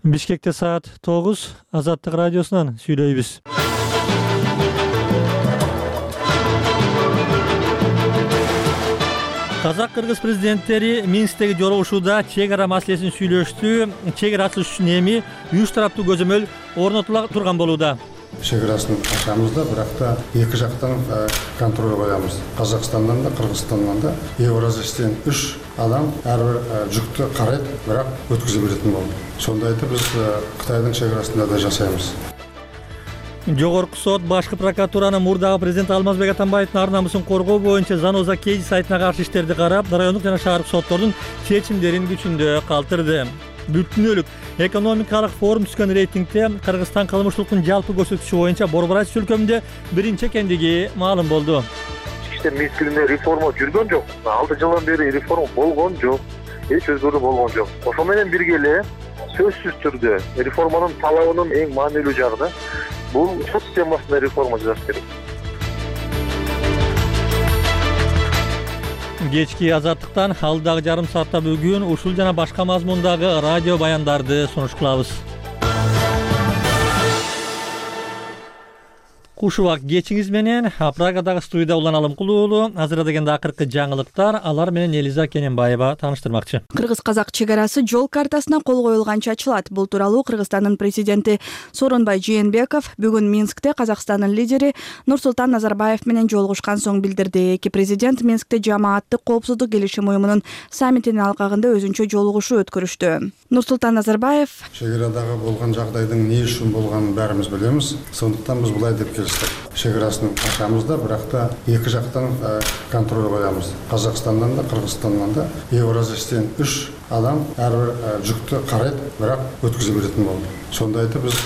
Бишкекте саат 9, Азаттык радиосунан сүйлөйбүз. Казак-кыргыз президенттери Минсктеги жолугушууда чек ара маселесин сүйлөштү. Чек ара ачылыш үчүн эми 3 тараптуу көзөмөл орнотула турган болууда. Чек арасын ачабыз да, бирок да эки жактан контроль коебуз. Казакстандан да, Кыргызстандан да Евразиядан 3 адам ар бир жүктү карайт, бирок өткөзө беретін болду. Сондайды биз Кытайдын чек арасында да жасайбыз. Жогорку сот башкы прокуратуранын мурдагы президент Алмазбек Атамбаевдин ар намысын коргоо боюнча Заноза Кейди сайтына каршы иштерди карап, райондук жана шаардык соттордун чечимдерин күчүндө калтырды. Бүткүнөлүк экономикалык форум түзгөн рейтингде Кыргызстан кылмыштуулуктун жалпы көрсөткүчү боюнча Борборайчы өлкөмдө биринчи экендиги маалым болду. Ички иштер мезгилинде реформа жүргөн жок. 6 жылдан бери реформа болгон жок. Эч өзгөрүү болгон жок. Ошол менен бирге эле сөзсүз түрдө реформанын талабынын эң маанилүү жагы да бул сот системасында реформа жасаш керек. Кечки Азаттыктан алдагы жарым саатта бүгүн ушул жана башка мазмундагы радио баяндарды сунуш кылабыз. Куш убак кечиңиз менен Прагадагы студияда Улан Алымкулуу. Азыр дегенде акыркы жаңылыктар, алар менен Элиза Кененбаева тааныштырмакчы. Кыргыз-казак чек арасы жол картасына кол коюлганча ачылат. Бул тууралуу Кыргызстандын президенти Сооронбай Жээнбеков бүгүн Минскте Казакстандын лидери Нурсултан Назарбаев менен жолугушкан соң билдирди. Эки президент Минскте жамааттык коопсуздук келишим уюмунун саммитинин алкагында өзүнчө жолугушуу өткөрүштү. Нурсултан Назарбаев чек арадагы болгон жагдайдын эмне үчүн болгонун баарыбыз билебиз. Сондуктан биз булай деп чек арасын ачабыз да, бирок да эки жактан контроль коебуз. Казакстандан да, Кыргызстандан да Евразиядан 3 адам ар бир жүктү карайт, бирок өткөзө беретін болду. Сондайды биз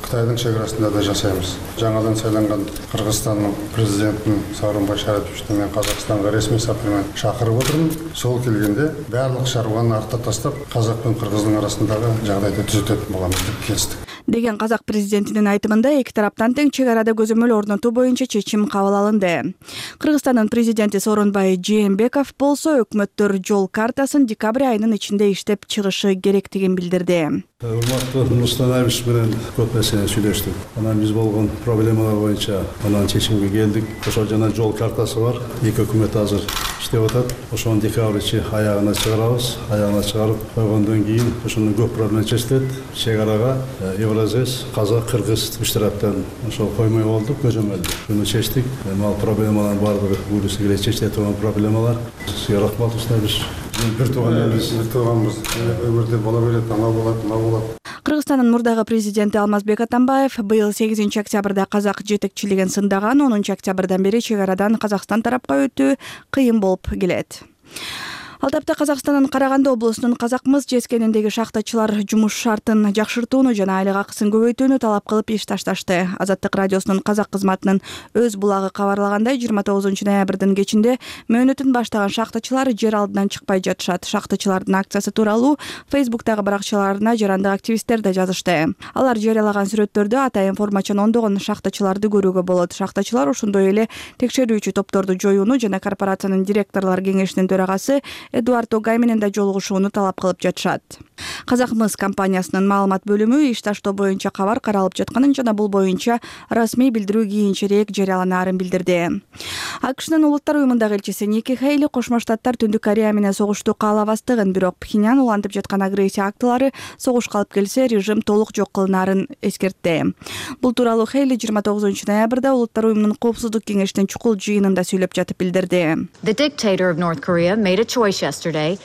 Кытайдын чек арасында да жасайбыз. Жаңадан сайланган Кыргызстандын президентин Сооронбай Шариповичти мен Казакстанга ресми сапар менен чакырып отурмун. Сол келгенде барлык чарбаны артта таштап, казак менен кыргыздын арасындагы жагдайды түзөтөт боламыз деп келиштик. Деген казак президентинин айтымында эки тараптан тең чек арада көзөмөл орнотуу боюнча чечим кабыл алынды. Кыргызстандын президенти Сооронбай Жээнбеков болсо өкмөттөр жол картасын декабрь айынын ичинде иштеп чыгышы керектигин билдирди. Урматтуу Нурсултан Абишевич менен көп нерсени сүйлөштүк. Анан биз болгон проблемалар боюнча анан чечимге келдик. Ошол жана жол картасы бар. Эки өкмөт азыр иштеп атат. Ошону декабрь аягына чыгарабыз. Аягына чыгарып койгондон кийин ошондон көп проблема чечилет. Чек арага Евразия, казак, кыргыз үч тараптан ошол коймой болдук, көзөмөлдү. Буну чечтик. Ал проблемалардын баардыгы буюрса келе чечиле турган проблемалар. Сизге рахмат устабыз. Бир тууганбыз, өмүрдө бола берет, ана болот. Кыргызстандын мурдагы президенти Алмазбек Атамбаев быйыл 8 октябрда казак жетекчилигин сындаган, 10 октябрдан бери чек арадан Казакстан тарапка өтүү кыйын болуп келет. Ал тапта Казакстандын Караганды облусунун казак-мыс жескениндеги шахтачылар жумуш шартын жакшыртууну жана айлык акысын көбөйтүүнү талап кылып иш ташташты. Азаттык радиосунун казак кызматынын өз булагы кабарлагандай, 29 ноябрдын кечинде мөөнөтүн баштаган шахтачылар жер алдынан чыкпай жатышат. Шахтачылардын акциясы тууралуу Фейсбуктагы баракчаларына жарандык активисттер да жазышты. Алар жарыялаган сүрөттөрдө атайын формачан ондогон шахтачыларды көрүүгө болот. Шахтачылар ошондой эле текшерүүчү топторду жоюуну жана корпорациянын директорлор кеңешинин төрагасы Эдуард Огай менен да жолугушууну талап кылып жатышат. Казак-мыс компаниясынын маалымат бөлүмү иш таштоо боюнча кабар каралып жатканын жана бул боюнча расмий билдирүү кийинчерээк жарыяланаарын билдирди. АКШнын улуттар уюмундагы элчиси Ники Хейли Кошмо Штаттар Түндүк Корея менен согушту каалабастыгын, бирок Пхеньян улантып жаткан агрессия актылары согушка алып келсе, режим толук жок кылынаарын эскертти. Бул тууралуу Хейли 29 ноябрда улуттар уюмунун коопсуздук кеңешинин чукул жыйынында сүйлөп жатып билдирди. The dictator of North Korea made a choice yesterday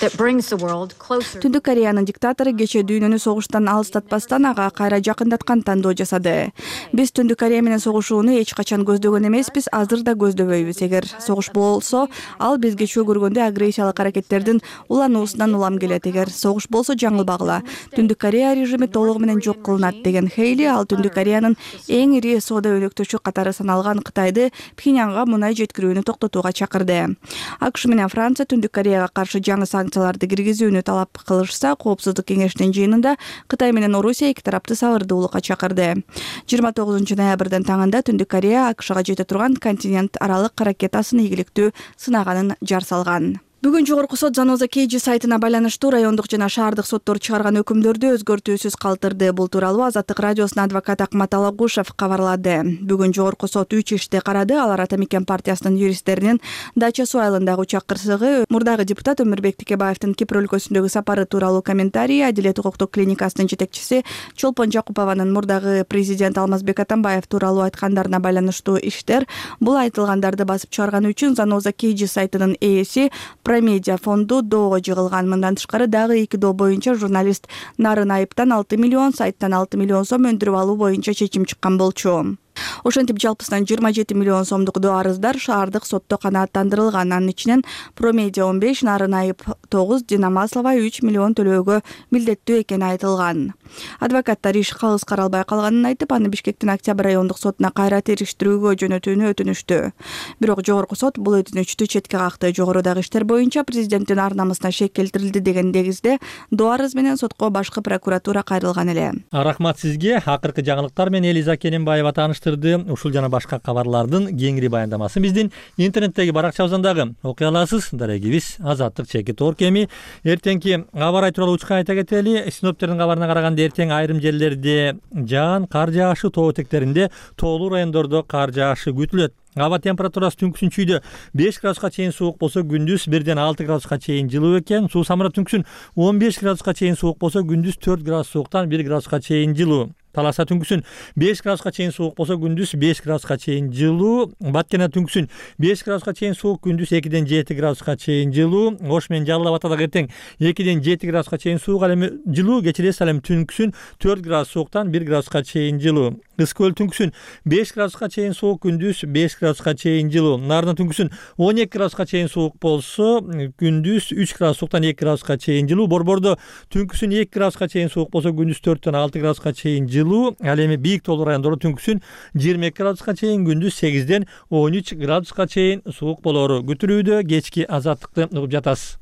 that brings the world closer. Түндүк Кореянын диктатору кечээ дүйнөнү согуштан алыстатпастан ага кайра жакындаткан тандоо жасады. Биз Түндүк Корея менен согушууну эч качан көздөгөн эмеспиз, азыр да көздөбөйбүз. Эгер согуш болсо, ал бизге чөө көргөндө агрессиялык аракеттердин улануусунан улам келет. Эгер согуш болсо, жаңылбагыла. Түндүк Корея режими толугу менен жок кылынат деген Хейли ал Түндүк Кореянын эң ири соода өнөктөшү катары саналган Кытайды Пхеньянга мунай жеткирүүнү токтотууга чакырды. АКШ менен Франция Түндүк Кореяга каршы жаңы санкцияларды киргизүүнү талап кылышса, Коопсуздук кеңешинин жыйынында Кытай менен Орусия эки тарапты сабырдуулукка чакырды. 29 ноябрдын таңында Түндүк Корея АКШга жете турган континент аралык ракетасын ийгиликтүү сынаганын жар салган. Бүгүн жогорку сот Заноза KG сайтына байланыштуу райондук жана шаардык соттор чыгарган өкүмдөрдү өзгөртүүсүз калтырды. Бул тууралуу Азаттык радиосунун адвокаты Акмат Алагушев кабарлады. Бүгүн жогорку сот 3 ишти карады. Алар Ата Мекен партиясынын юристтеринин Дача суу айылындагы учак кырсыгы, мурдагы депутат Өмүрбек Текебаевдин Кипр өлкөсүндөгү сапары тууралуу комментарий, Адилет укуктук клиникасынын жетекчиси Чолпон Жакупованын мурдагы президент Алмазбек Атамбаев тууралуу айткандарына байланыштуу иштер. Бул айтылгандарды басып чыгарган үчүн Заноза KG сайтынын ээси Промедиа фонду доого жыгылган. Мындан тышкары дагы 2 доо боюнча журналист Нарын Айыптан 6 миллион, сайттан 6 миллион сом өндүрүп алуу боюнча чечим чыккан болчу. Ошентип жалпысынан 27 миллион сомдук доо арыздар шаардык сотто канааттандырылган. Анын ичинен Промедиа 15, Нарын Айып 9, Дина Маслова 3 миллион төлөөгө милдеттүү экени айтылган. Адвокаттар иш калыс каралбай калганын айтып, аны Бишкектин Октябрь райондук сотуна кайра териштирүүгө жөнөтүүнү өтүнүштү. Бирок жогорку сот бул өтүнүчтү четке какты. Жогорудагы иштер боюнча президенттин ар намысына шек келтирилди деген негизде доо арыз менен сотко башкы прокуратура кайрылган эле. Рахмат сизге. Акыркы жаңылыктар менен Элиза Кененбаева тааныштырды. Ушул жана башка кабарлардын кеңири баяндамасын биздин интернеттеги баракчабыздан дагы окуй аласыз. Дарегибиз Азаттык ЧК Эми. Эртеңки аба ырайы тууралуу учка айта кетели. Синоптиктердин кабарына караганда эртең айрым жерлерде жаан, кар жаашы, тоо этектеринде, тоолуу райондордо кар жаашы күтүлөт. Аба температурасы түнкүсүн чүйдө 5 градуска чейин суук болсо, күндүз 1ден 6 градуска чейин жылуу экен. Суу самырат түнкүсүн 15 градуска чейин суук болсо, күндүз 4 градус сууктан 1 градуска чейин жылуу. Таласа түнкүсүн 5 градуска чейин суук болсо, күндүз 5 градуска чейин жылуу. Баткена түнкүсүн 5 градуска чейин суук, күндүз 2ден 7 градуска чейин жылуу. Ош менен Жалал Абадда эртең 2ден 7 градуска чейин суук, ал эми жылуу. Кечиресиз, ал эми түнкүсүн 4 градус сууктан 1 градуска чейин жылуу. Ысык көл түнкүсүн 5 градуска чейин суук, күндүз 5 градуска чейин жылуу. Нарын түнкүсүн 12 градуска чейин суук болсо, күндүз 3 градус сууктан 2 градуска чейин жылуу. Борбордо түнкүсүн 2 градуска чейин суук болсо, күндүз 4ден 6 градуска чейин жылуу. Ал эми бийик тоолуу райондордо түнкүсүн 22 градуска чейин, күндүз 8ден 13 градуска чейин суук болору күтүлүүдө. Кечки Азаттыкты угуп жатасыз.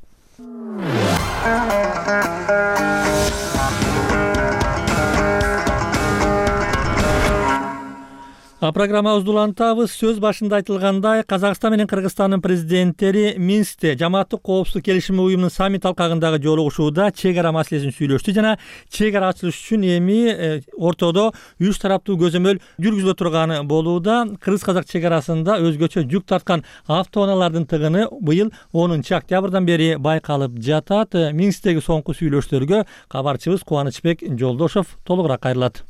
Программабызды улантабыз. Сөз башында айтылгандай, Казакстан менен Кыргызстандын президенттери Минскте жамааттык коопсуздук келишими уюмунун саммит алкагындагы жолугушууда чек ара маселесин сүйлөштү жана чек ара ачылыш үчүн эми ортодо 3 тараптуу көзөмөл жүргүзүлө турганы болууда. Кыргыз-казак чек арасында өзгөчө жүк тарткан автоунаалардын тыгыны быйыл 10 октябрдан бери байкалып жатат. Минсктеги соңку сүйлөшүүлөргө кабарчыбыз Кубанычбек Жолдошов толугураак кайрылат.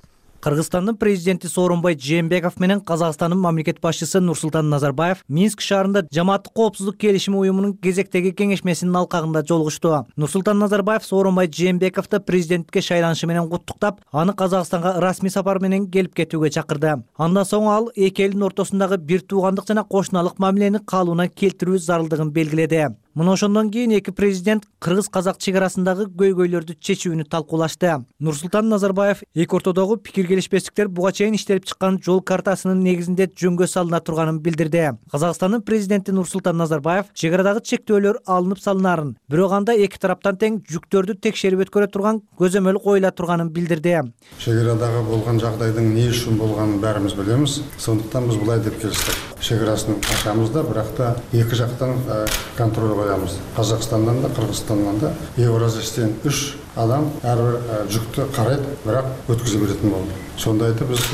Кыргызстандын президенти Сооронбай Жээнбеков менен Казакстандын мамлекет башчысы Нурсултан Назарбаев Минск шаарында жамааттык коопсуздук келишими уюмунун кезектеги кеңешмесинин алкагында жолугушту. Нурсултан Назарбаев Сооронбай Жээнбековду президенттикке шайланышы менен куттуктап, аны Казакстанга расмий сапар менен келип кетүүгө чакырды. Андан соң ал эки элдин ортосундагы бир туугандык жана кошуналык мамилени калыбына келтирүү зарылдыгын белгиледи. Мына ошондон кийин эки президент кыргыз-казак чек арасындагы көйгөйлөрдү чечүүнү талкуулашты. Нурсултан Назарбаев эки ортодогу пикир келишпестиктер буга чейин иштелип чыккан жол картасынын негизинде жөнгө салына турганын билдирди. Казакстандын президенти Нурсултан Назарбаев чек арадагы чектөөлөр алынып салынарын, бирок анда эки тараптан тең жүктөрдү текшерип өткөрө турган көзөмөл коюла турганын билдирди. Чек арадагы болгон жагдайдын эмне үчүн болгонун баарыбыз билебиз. Сондуктан биз булай деп келиштик. Чек арасын ачабыз да, бирок да эки жактан контроль коябыз. Казакстандан да, Кыргызстандан да Евразиядан 3 адам ар бир жүктү карайт, бирок өткүзө беретін болду. Сонда айтып биз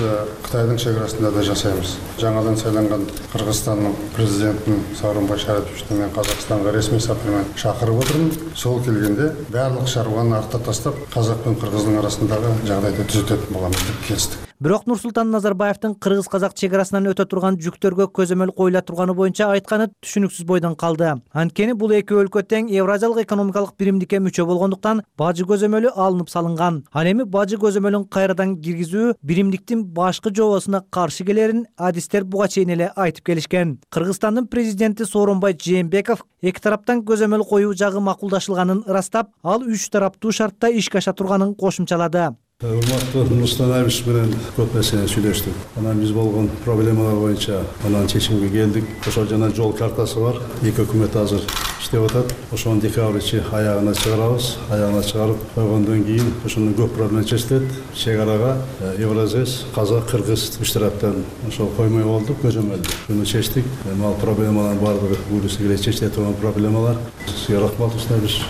Кытайдын чек арасында да жасайбыз. Жаңадан сайланган Кыргызстандын президентин Сооронбай Шариповичти мен Казакстанга ресми сапар менен чакырып отурмун. Сол келгенде барлык чаруаны артта таштап, Казак менен Кыргыздын арасындагы жагдайды түзөтөт боламыз деп келиштик. Бирок Нурсултан Назарбаевдин кыргыз-казак чек арасынан өтө турган жүктөргө көзөмөл коюла турганы боюнча айтканы түшүнүксүз бойдон калды. Анткени бул эки өлкө тең Евразиялык экономикалык биримдикке мүчө болгондуктан бажы көзөмөлү алынып салынган. Ал эми бажы көзөмөлүн кайрадан киргизүү биримдиктин башкы жобосуна каршы келерин адистер буга чейин эле айтып келишкен. Кыргызстандын президенти Сооронбай Жээнбеков эки тараптан көзөмөл коюу жагы макулдашылганын ырастап, ал 3 тараптуу шартта ишке аша турганын кошумчалады. Урматтуу Нурсултан Абишевич менен көп нерсени сүйлөштүк. Анан биз болгон проблемалар боюнча анан чечимге келдик. Ошол жана жол картасы бар. Эки өкмөт азыр иштеп атат. Ошону декабрь ичи аягына чыгарабыз. Аягына чыгарып койгондон кийин ошону көп проблема чечилет. Чек арага Евразес, Казак, Кыргыз үч тараптан ошол коймой болдук, көзөмөлдү. Буну чечтик. Ал проблемалардын баардыгы буюрса келе чечиле турган проблемалар. Сизге рахмат Абишевич.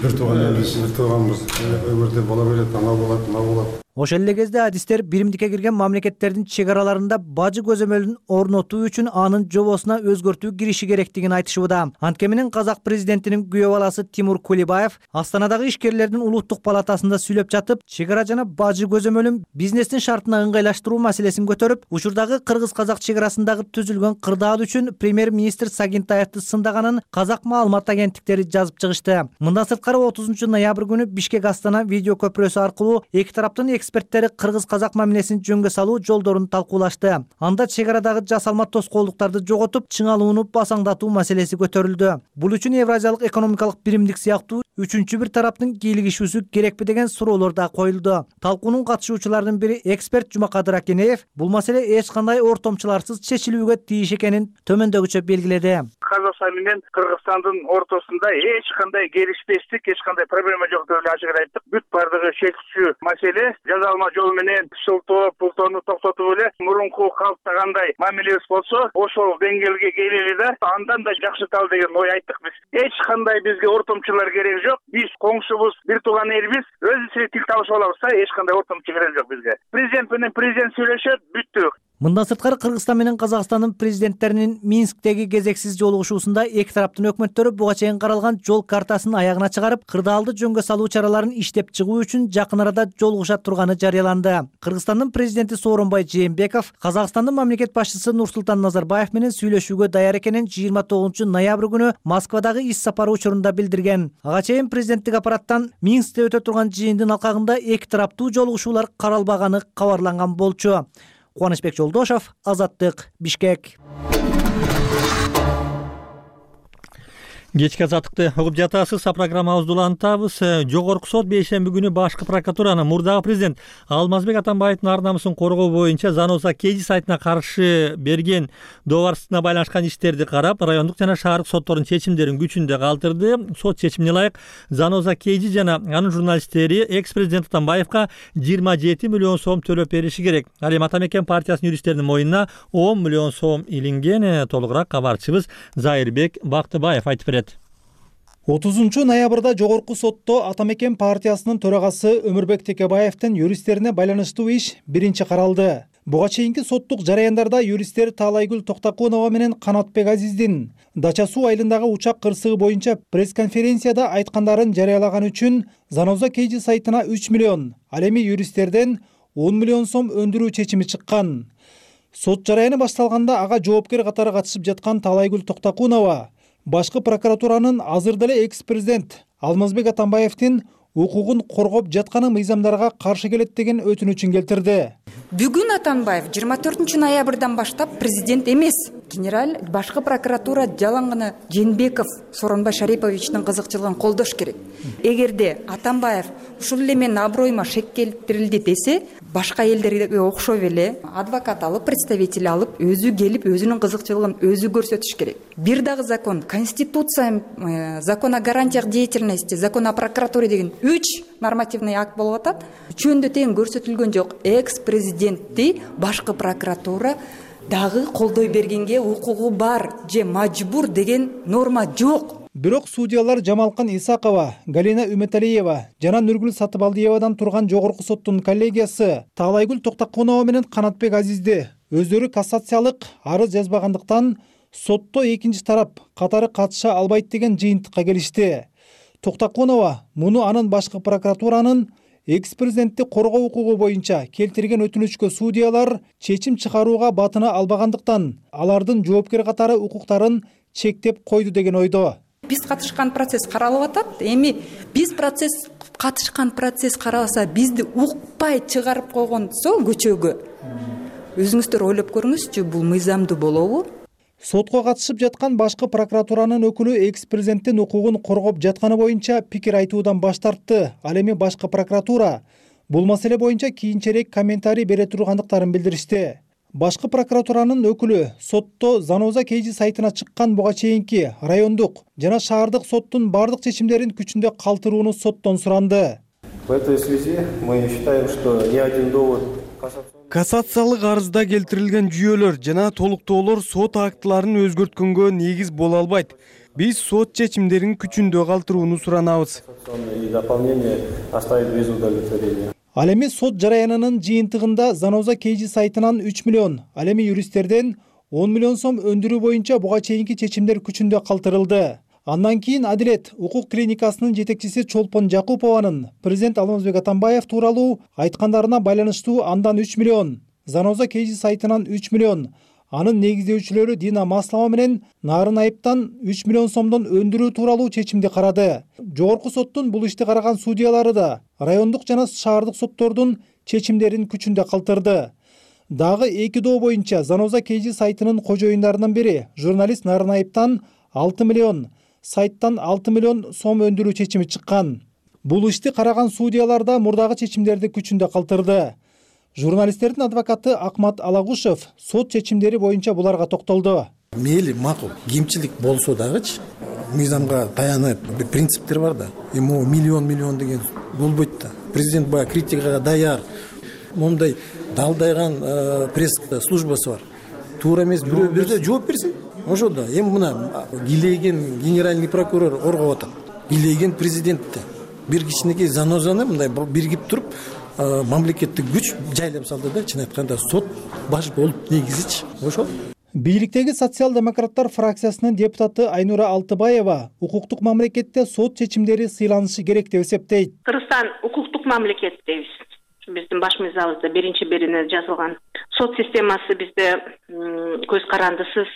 Бир тууганбыз. Өмүрдө бола берет, ана болот, мына болот. Ошол эле кезде адистер биримдикке кирген мамлекеттердин чек араларында бажы көзөмөлүн орнотуу үчүн анын жобосуна өзгөртүү кириши керектигин айтышууда. Антке менен Казак президентинин күйөө баласы Тимур Кулибаев Астанадагы ишкерлердин улуттук палатасында сүйлөп жатып, чек ара жана бажы көзөмөлүн бизнестин шартына ыңгайлаштыруу маселесин көтөрүп, учурдагы кыргыз-казак чек арасындагы түзүлгөн кырдаал үчүн премьер-министр Сагинтаевди сындаганын Казак маалымат агенттиктери жазып чыгышты. Мындан сырткары 30 ноябрь күнү Бишкек-Астана видео көпүрөсү аркылуу эки тараптын эксперттери кыргыз-казак мамилесин жөнгө салуу жолдорун талкуулашты. Анда чек арадагы жасалма тоскоолдуктарды жоготуп, чыңалууну басаңдатуу маселеси көтөрүлдү. Бул үчүн Евразиялык экономикалык биримдик сыяктуу үчүнчү бир тараптын кийлигишүүсү керекпи деген суроолор да коюлду. Талкуунун катышуучуларынын бири эксперт Жумакадыр Акенеев бул маселе эч кандай ортомчуларсыз чечилүүгө тийиш экенин төмөндөгүчө белгиледи. Казакстан менен Кыргызстандын ортосунда эч кандай келишпестик, эч кандай проблема жок деп эле ачык айттык. Бүт бардыгы шектүү маселе жазалма жол менен шылтоо, пултоону токтотуп эле мурунку калыптагандай мамилебиз болсо, ошол деңгээлге келели да андан да жакшырталы деген ой айттык биз. Эч кандай бизге ортомчулар кереги жок. Биз коңшубуз, бир тууган элбиз. Өзүбүз тил табышып алабыз да, эч кандай ортомчу кереги жок бизге. Президент менен президент сүйлөшөт, бүттү. Мындан сырткары Кыргызстан менен Казакстандын президенттеринин Минсктеги кезексиз жолугушуусунда эки тараптын өкмөттөрү буга чейин каралган жол картасын аягына чыгарып, кырдаалды жөнгө салуу чараларын иштеп чыгуу үчүн жакын арада жолугуша турганы жарыяланды. Кыргызстандын президенти Сооронбай Жээнбеков Казакстандын мамлекет башчысы Нурсултан Назарбаев менен сүйлөшүүгө даяр экенин 29 ноябрь күнү Москвадагы иш сапары учурунда билдирген. Ага чейин президенттик аппараттан Минскте өтө турган жыйындын алкагында эки тараптуу жолугушуулар каралбаганы кабарланган болчу. Кубанычбек Жолдошов, Азаттык, Бишкек. Кечки азаттыкты угуп жатасыз. Программабызды улантабыз. Жогорку сот бейшемби күнү башкы прокуратуранын мурдагы президент Алмазбек Атамбаевдин ар намысын коргоо боюнча Заноза Кеji сайтына каршы берген доорбарсыздыгына байланышкан иштерди карап, райондук жана шаардык соттордун чечимдерин күчүндө калтырды. Сот чечимине ылайык Заноза Кеji жана анын журналисттери экс-президент Атамбаевка 27 миллион сом төлөп бериши керек. Ал эми Атамекен партиясынын юристтеринин моюнуна 10 миллион сом илинген. Толугураак кабарчыбыз Зайырбек Бактыбаев айтып берет. 30 ноябрда жогорку сотто Атамекен партиясынын төрагасы Өмүрбек Текебаевдин юристтерине байланыштуу иш биринчи каралды. Буга чейинки соттук жараяндарда юристтер Таалайгүл Токтакунова менен Канатбек Азиздин Дача суу айылындагы учак кырсыгы боюнча пресс-конференцияда айткандарын жарыялаган үчүн Заноза Кеji сайтына 3 миллион, ал эми юристтерден 10 миллион сом өндүрүү чечими чыккан. Сот жараяны башталганда ага жоопкер катары катышып жаткан Таалайгүл Токтакунова башкы прокуратуранын азыр деле экс-президент Алмазбек Атамбаевдин укугун коргоп жатканы мыйзамдарга каршы келет деген өтүнүчүн келтирди. Бүгүн Атамбаев 24 ноябрдан баштап президент эмес. Генерал башкы прокуратура жалаң гана Жээнбеков Сооронбай Шариповичтин кызыкчылыгын колдош керек. Эгерде Атамбаев ушул эле менин аброюма шек келтирилди десе, башка элдерге окшоп эле адвокат алып, представитель алып, өзү келип өзүнүн кызыкчылыгын өзү көрсөтүш керек. Бир дагы закон, конституция, закон о гарантиях деятельности, закон о прокуратуре деген 3 нормативный акт болуп атат. Үчөөндө тең көрсөтүлгөн жок. Экс-президентти башкы прокуратура дагы колдой бергенге укугу бар же мажбур деген норма жок. Бирок судьялар Жамалкан Исакова, Галина Үмөталиева жана Нургүл Сатыбалдиевадан турган жогорку соттун коллегиясы Таалайгүл Токтакунова менен Канатбек Азизди өздөрү кассациялык арыз жазбагандыктан сотто экинчи тарап катары катыша албайт деген жыйынтыкка келишти. Токтакунова муну анын башкы прокуратуранын экс-президентти коргоо укугу боюнча келтирген өтүнүчкө судьялар чечим чыгарууга батына албагандыктан алардын жоопкер катары укуктарын чектеп койду деген ойдо. Биз катышкан процесс каралып атат. Эми биз катышкан процесс каралса, бизди укпай чыгарып койгонсо көчөгө. Өзүңүздөр ойлоп көрүңүзчү, бул мыйзамдуу болобу? Сотко катышып жаткан башкы прокуратуранын өкүлү экс-президенттин укугун коргоп жатканы боюнча пикир айтуудан баш тартты. Ал эми башкы прокуратура Бул маселе боюнча кийинчерээк комментарий бере тургандыктарын билдиришти. Башкы прокуратуранын өкүлү сотто Заноза KG сайтына чыккан буга чейинки райондук жана шаардык соттун бардык чечимдерин күчүндө калтырууну соттон суранды. В этой связи мы считаем, что ни один довод кассациялык арызда келтирилген жүйөлөр жана толуктоолор сот актыларын өзгөрткөнгө негиз боло албайт. Биз сот чечимдерин күчүндө калтырууну суранабыз. и дополнение оставить без удовлетворения. Ал эми сот жараянынын жыйынтыгында Заноза KG сайтынан 3 миллион, ал эми юристтерден 10 миллион сом өндүрүү боюнча буга чейинки чечимдер күчүндө калтырылды. Андан кийин Адилет укук клиникасынын жетекчиси Чолпон Жакупованын президент Алмазбек Атамбаев тууралуу айткандарына байланыштуу андан 3 миллион, Заноза KG сайтынан 3 миллион, анын негиздөөчүлөрү Дина Маслова менен Нарын Айыптан 3 миллион сомдон өндүрүү тууралуу чечимди карады. Жогорку соттун бул ишти караган судьялары да райондук жана шаардык соттордун чечимдерин күчүндө калтырды. Дагы 2 доо боюнча Заноза KG сайтынын кожоюндарынын бири журналист Нарын Айыптан 6 миллион, сайттан 6 миллион сом өндүрүү чечими чыккан. Бул ишти караган судьялар да мурдагы чечимдерди күчүндө калтырды. Журналисттердин адвокаты Акмат Алагушев сот чечимдери боюнча буларга токтолду. Мейли макул кемчилик болсо дагычы мыйзамга таянып принциптер бар да. Эми миллион деген болбойт да. Президент баягы критикага даяр. Мондай далдайган пресс службасы бар. Туура эмес бирөө бирде жооп берсин. Ошо да эми мына килейген генеральный прокурор оргоп атат. Килейген президентти бир кичинекей Занозаны мындай биргип туруп мамлекеттик күч жайлап салды да, чын айтканда сот баш болуп негизичи ошол. Бийликтеги социал-демократтар фракциясынын депутаты Айнура Алтыбаева укуктук мамлекетте сот чечимдери сыйланышы керек деп эсептейт. Кыргызстан укуктук мамлекет дейбиз. Биздин баш мыйзамыбызда биринчи бирине жазылган. Сот системасы бизде көз карандысыз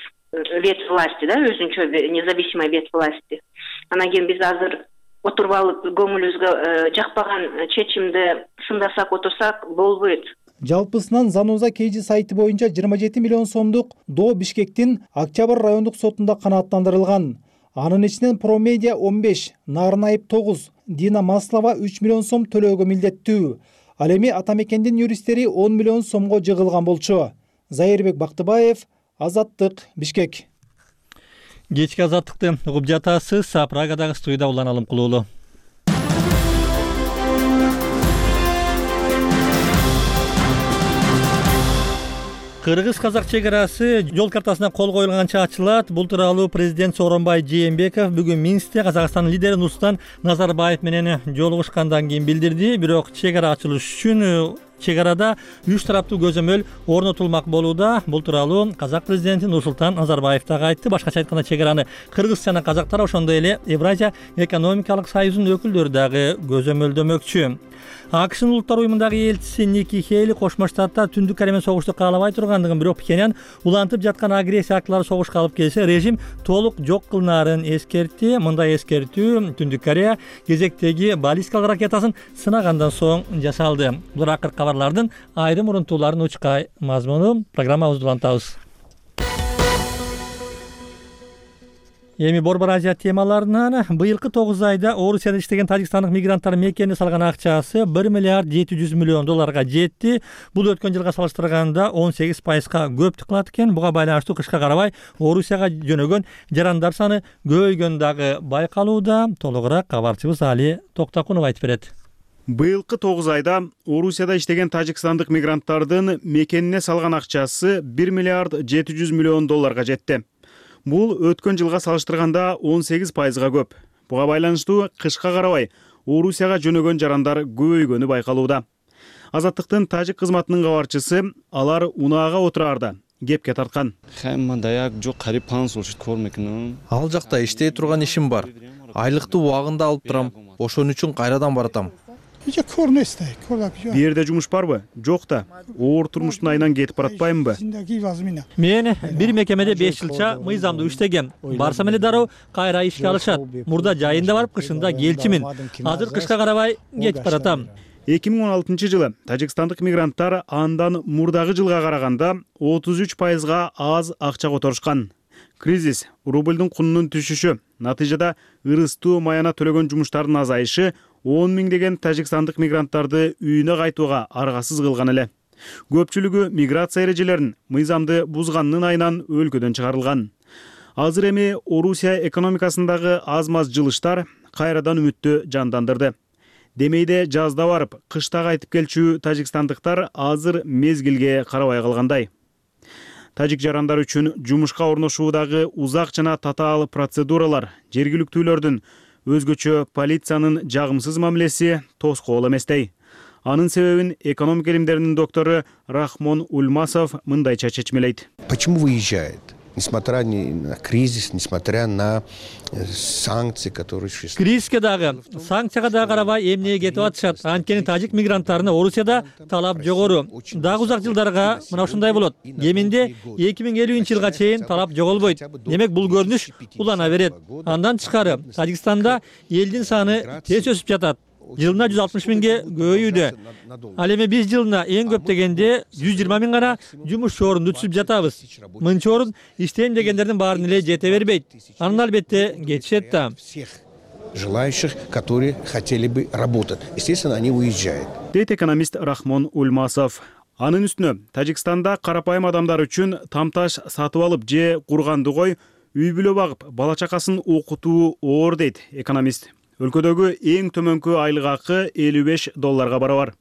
ветвь власти, да, өзүнчө независимая ветвь власти. Анан кийин биз азыр отуруп алып көңүлүбүзгө жакпаган чечимди сындасак отурсак болбойт. Жалпысынан Заноза KG сайты боюнча 27 миллион сомдук доо Бишкектин Октябрь райондук сотунда канааттандырылган. Анын ичинен Промедиа 15, Нарын Айып 9, Дина Маслова 3 миллион сом төлөөгө милдеттүү. Ал эми Атамекендин юристтери 10 миллион сомго жыгылган болчу. Зайырбек Бактыбаев, Азаттык, Бишкек. Кечки азаттыкты угуп жатасыз. Прагадагы студияда Улан Алымкулуулу. Кыргыз-казак чек-арасы жол картасына кол коюлганча ачылат. Бул тууралуу президент Сооронбай Жээнбеков бүгүн Минскте Казакстандын лидери Нурсултан Назарбаев менен жолугушкандан кийин билдирди. Бирок чек-ара ачылыш үчүн чек-арада 3 тараптуу көзөмөл орнотулмак болууда. Бул тууралуу казак президенти Нурсултан Назарбаев дагы айтты. Башкача айтканда чек-араны кыргыз жана казактар, ошондой эле Евразия экономикалык союзунун өкүлдөрү дагы көзөмөлдөмөкчү. АКШнын улуттар уюмундагы элчиси Ники Хейли Кошмо Штаттар Түндүк Корея согушту каалабай тургандыгын, бирок Пхеньян улантып жаткан агрессия актылары согушка алып келсе режим толук жок кылынаарын эскертти. Мындай эскертүү Түндүк Корея кезектеги баллистикалык ракетасын сынагандан соң жасалды. Булар акыркы кабарлардын айрым урунтууларын учка мазмуну. Программабызды улантабыз. Эми Борбор Азия темаларынан быйылкы 9 айда Орусияда иштеген тажикстандык мигранттар мекенине салган акчасы 1 миллиард 700 миллион долларга жетти. Бул өткөн жылга салыштырганда 18%га көп кылат экен. Буга байланыштуу кышка карабай Орусияга жөнөгөн жарандар саны көбөйгөн дагы байкалууда. Толугураак кабарчыбыз Али Токтакунов айтып берет. Быйылкы 9 айда Орусияда иштеген тажикстандык мигранттардын мекенине салган акчасы 1 миллиард 700 миллион долларга жетти. Бул өткөн жылга салыштырганда 18%га көп. Буга байланыштуу кышка карабай Орусияга жөнөгөн жарандар көбөйгөнү байкалууда. Азаттыктын тажик кызматынын кабарчысы алар унаага отураарда кепке тарткан. Ал жакта иштей турган ишим бар. Айлыкты убагында алып турам. Ошон үчүн кайрадан баратам. Бу жерде жумуш барбы? Жок да. Оор турмуштун айынан кетип баратпаймынбы? Мен бир мекемеде 5 жылча мыйзамдуу иштегем. Барсам эле дароо кайра ишке алышат. Мурда жайында барып, кышында келчимин. Азыр кышка карабай кетип баратам. 2016 жылы тажикстандык мигранттар андан мурдагы жылга караганда 33%га аз акча которушкан. Кризис, рубльдун кунунун түшүшү, натыйжада ырыстуу маяна төлөгөн жумуштардын азайышы 10 миңдеген тажикстандык мигранттарды үйүнө кайтууга аргасыз кылган эле. Көпчүлүгү миграция эрежелерин мыйзамды бузганынын айынан өлкөдөн чыгарылган. Азыр эми Орусия экономикасындагы аз-маз жылыштар кайрадан үмүттү жандандырды. Демейде жазда барып, кышта кайтып келчү тажикстандыктар азыр мезгилге карабай калгандай. Тажик жарандар үчүн жумушка орношуудагы узак жана татаал процедуралар, жергиликтүүлөрдүн, өзгөчө полициянын жагымсыз мамилеси тоскоол эместей. Анын себебин экономика илимдеринин доктору Рахмон Ульмасов мындайча чечмелейт. Почему выезжает? Несмотря на кризис, несмотря на санкции, которые существуют. Кризиске дагы, санкцияга дагы карабай эмне кетип атышат. Анткени тажик мигранттарына Орусияда талап жогору. Дагы узак жылдарга мына ушундай болот. Кеминде 2050-жылга чейин талап жоголбойт. Демек бул көрүнүш улана берет. Андан тышкары Тажикстанда элдин саны тез өсүп жатат. Жылына 160 миңге көбөйүүдө. Ал эми биз жылына эң көп дегенде 120 миң гана жумуш орунду түзүп жатабыз. Мынча орун иштейм дегендердин баарын эле жете бербейт. Анын албетте кетишет да. Желающих, которые хотели бы работать. Естественно, они уезжают. Дейт экономист Рахмон Ульмасов. Анын үстүнө Тажикстанда карапайым адамдар үчүн тамташ сатып алып же курганды кой, үй бүлө багып, бала чакасын окутуу оор дейт экономист. Өлкөдөгү эң төмөнкү айлык акы $55 барабар.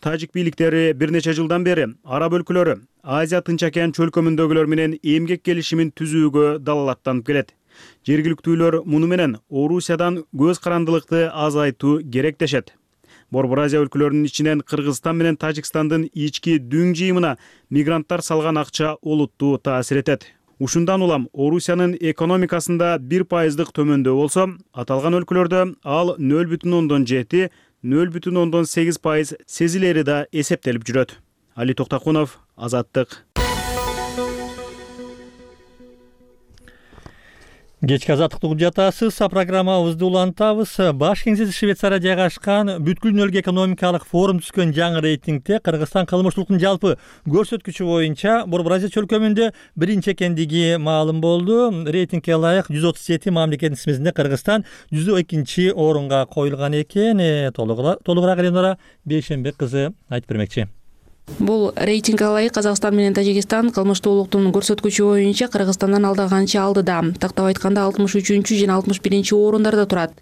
Тажик бийликтери бир нече жылдан бери араб өлкөлөрү Азия Тынч океан чөлкөмүндөгүлөр менен эмгек келишимин түзүүгө далалаттанып келет. Жергиликтүүлөр муну менен Орусиядан көз карандылыкты азайтуу керек дешет. Борбор Азия өлкөлөрүнүн ичинен Кыргызстан менен Тажикстандын ички дүң жыйымына мигранттар салган акча олуттуу таасир этет. Ушундан улам Орусиянын экономикасында 1% төмөндөө болсо, аталган өлкөлөрдө ал 0,7, 0,8% сезилери да эсептелип жүрөт. Али Токтакунов, Азаттык. Кечки азаттыктуу жатасыз, программабызды улантабыз. Баш кеңсеси Швейцария жайгашкан бүткүл дүйнөлүк экономикалык форум түзгөн жаңы рейтингде Кыргызстан кылмыштуулуктун жалпы көрсөткүчү боюнча Борбор Азия чөлкөмүндө биринчи экендиги маалым болду. Рейтингге ылайык 137 мамлекеттин тизмесинде Кыргызстан 102 орунга коюлган экен. Толугураак Эленора Бейшенбек кызы айтып бермекчи. Бул рейтингге ылайык Казакстан менен Тажикстан кылмыштуулуктун көрсөткүчү боюнча Кыргызстандан алда канча алдыда. Тактап айтканда 63 жана 61 орундарда турат.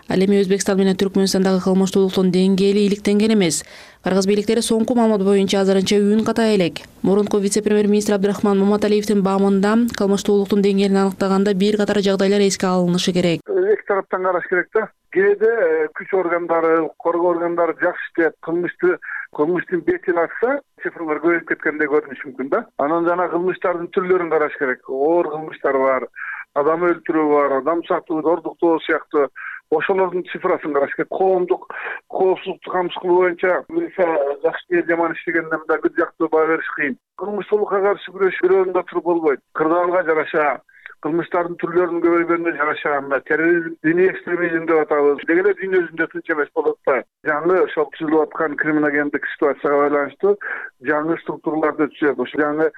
Ал эми Өзбекстан менен Түркмөнстандагы кылмыштуулуктун деңгээли иликтенген эмес. Кыргыз бийликтери соңку маалымат боюнча азырынча үйүн катай элек. Мурунку вице-премьер-министр Абдрахман Маматалиевдин баамында кылмыштуулуктун деңгээлин аныктаганда бир катар жагдайлар эске алынышы керек. Эки тараптан караш керек да. Кээде күч органдары, коргоо органдары жакшы иштеп, кылмыштын бетин ачса, цифрлар көбөйүп кеткендей көрүнүшү мүмкүн да. Анан жана кылмыштардын түрлөрүн караш керек. Оор кылмыштар бар, адам өлтүрүү бар, адам сатуу, ордуктоо сыяктуу. Ошолордун цифрасын караш керек. Коомдук коопсуздукту камсыз кылуу боюнча милиция жакшы жаман иштегенде мындай бир жактуу баа бериш кыйын. Кылмыштуулукка каршы күрөш бир орунда туруп болбойт. Кырдаалга жараша, кылмыштардын түрлөрүнүн көбөйгөнүнө жараша, терроризм, диний экстремизм деп атабыз. Деги эле дүйнө жүзүндө тынч эмес болот да. Жаңы ошол түзүлүп аткан криминогендик ситуацияга байланыштуу жаңы структураларды түзөп, ошо жаңы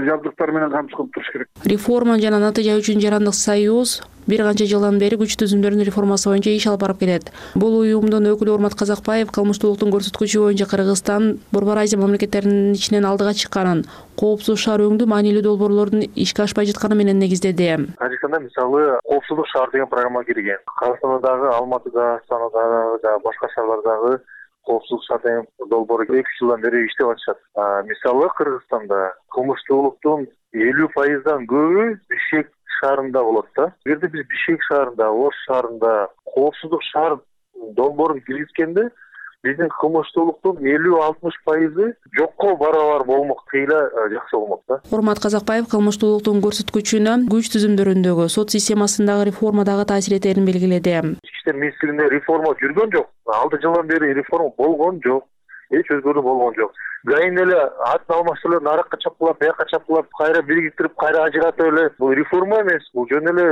жабдыктар менен камсыз кылып туруш керек. Реформа жана натыйжа үчүн Жарандык союз бир канча жылдан бери күч түзүмдөрүнүн реформасы боюнча иш алып барып келет. Бул уюмдун өкүлү Урмат Казакбаев кылмыштуулуктун көрсөткүчү боюнча Кыргызстан Борбор Азия мамлекеттеринин ичинен алдыга чыкканын, коопсуз шаар өңдүү маанилүү долбоорлордун ишке ашпай жатканы менен негиздеди. Тажикстанда мисалы коопсуздук шаар деген программа кирген. Кыргызстанда дагы Алматыда, Астанада жана башка шаарлардагы коопсуздук шаар деген долбоор 2 жылдан бери иштеп атышат. Мисалы Кыргызстанда кылмыштуулуктун 50%дан көбү Бишкек шаарында болот да. Эгерде биз Бишкек шаарында, Ош шаарында коопсуздук шаар долбоорун киргизгенде биздин кылмыштуулуктун 50-60% жокко барабар болмок, кыйла жакшы болмок да. Урмат Казакбаев кылмыштуулуктун көрсөткүчүнө күч түзүмдөрүндөгү, сот системасындагы реформадагы таасир этерин белгиледи. Ички иштер министрлигинде реформа жүргөн жок. 6 жылдан бери реформа болгон жок. Эч өзгөрүү болгон жок. Гайын эле атын алмаштырып, наракка чапкылап, бияка чапкылап, кайра биригиктирип, кайра ажыратып эле. Бул реформа эмес, бул жөн эле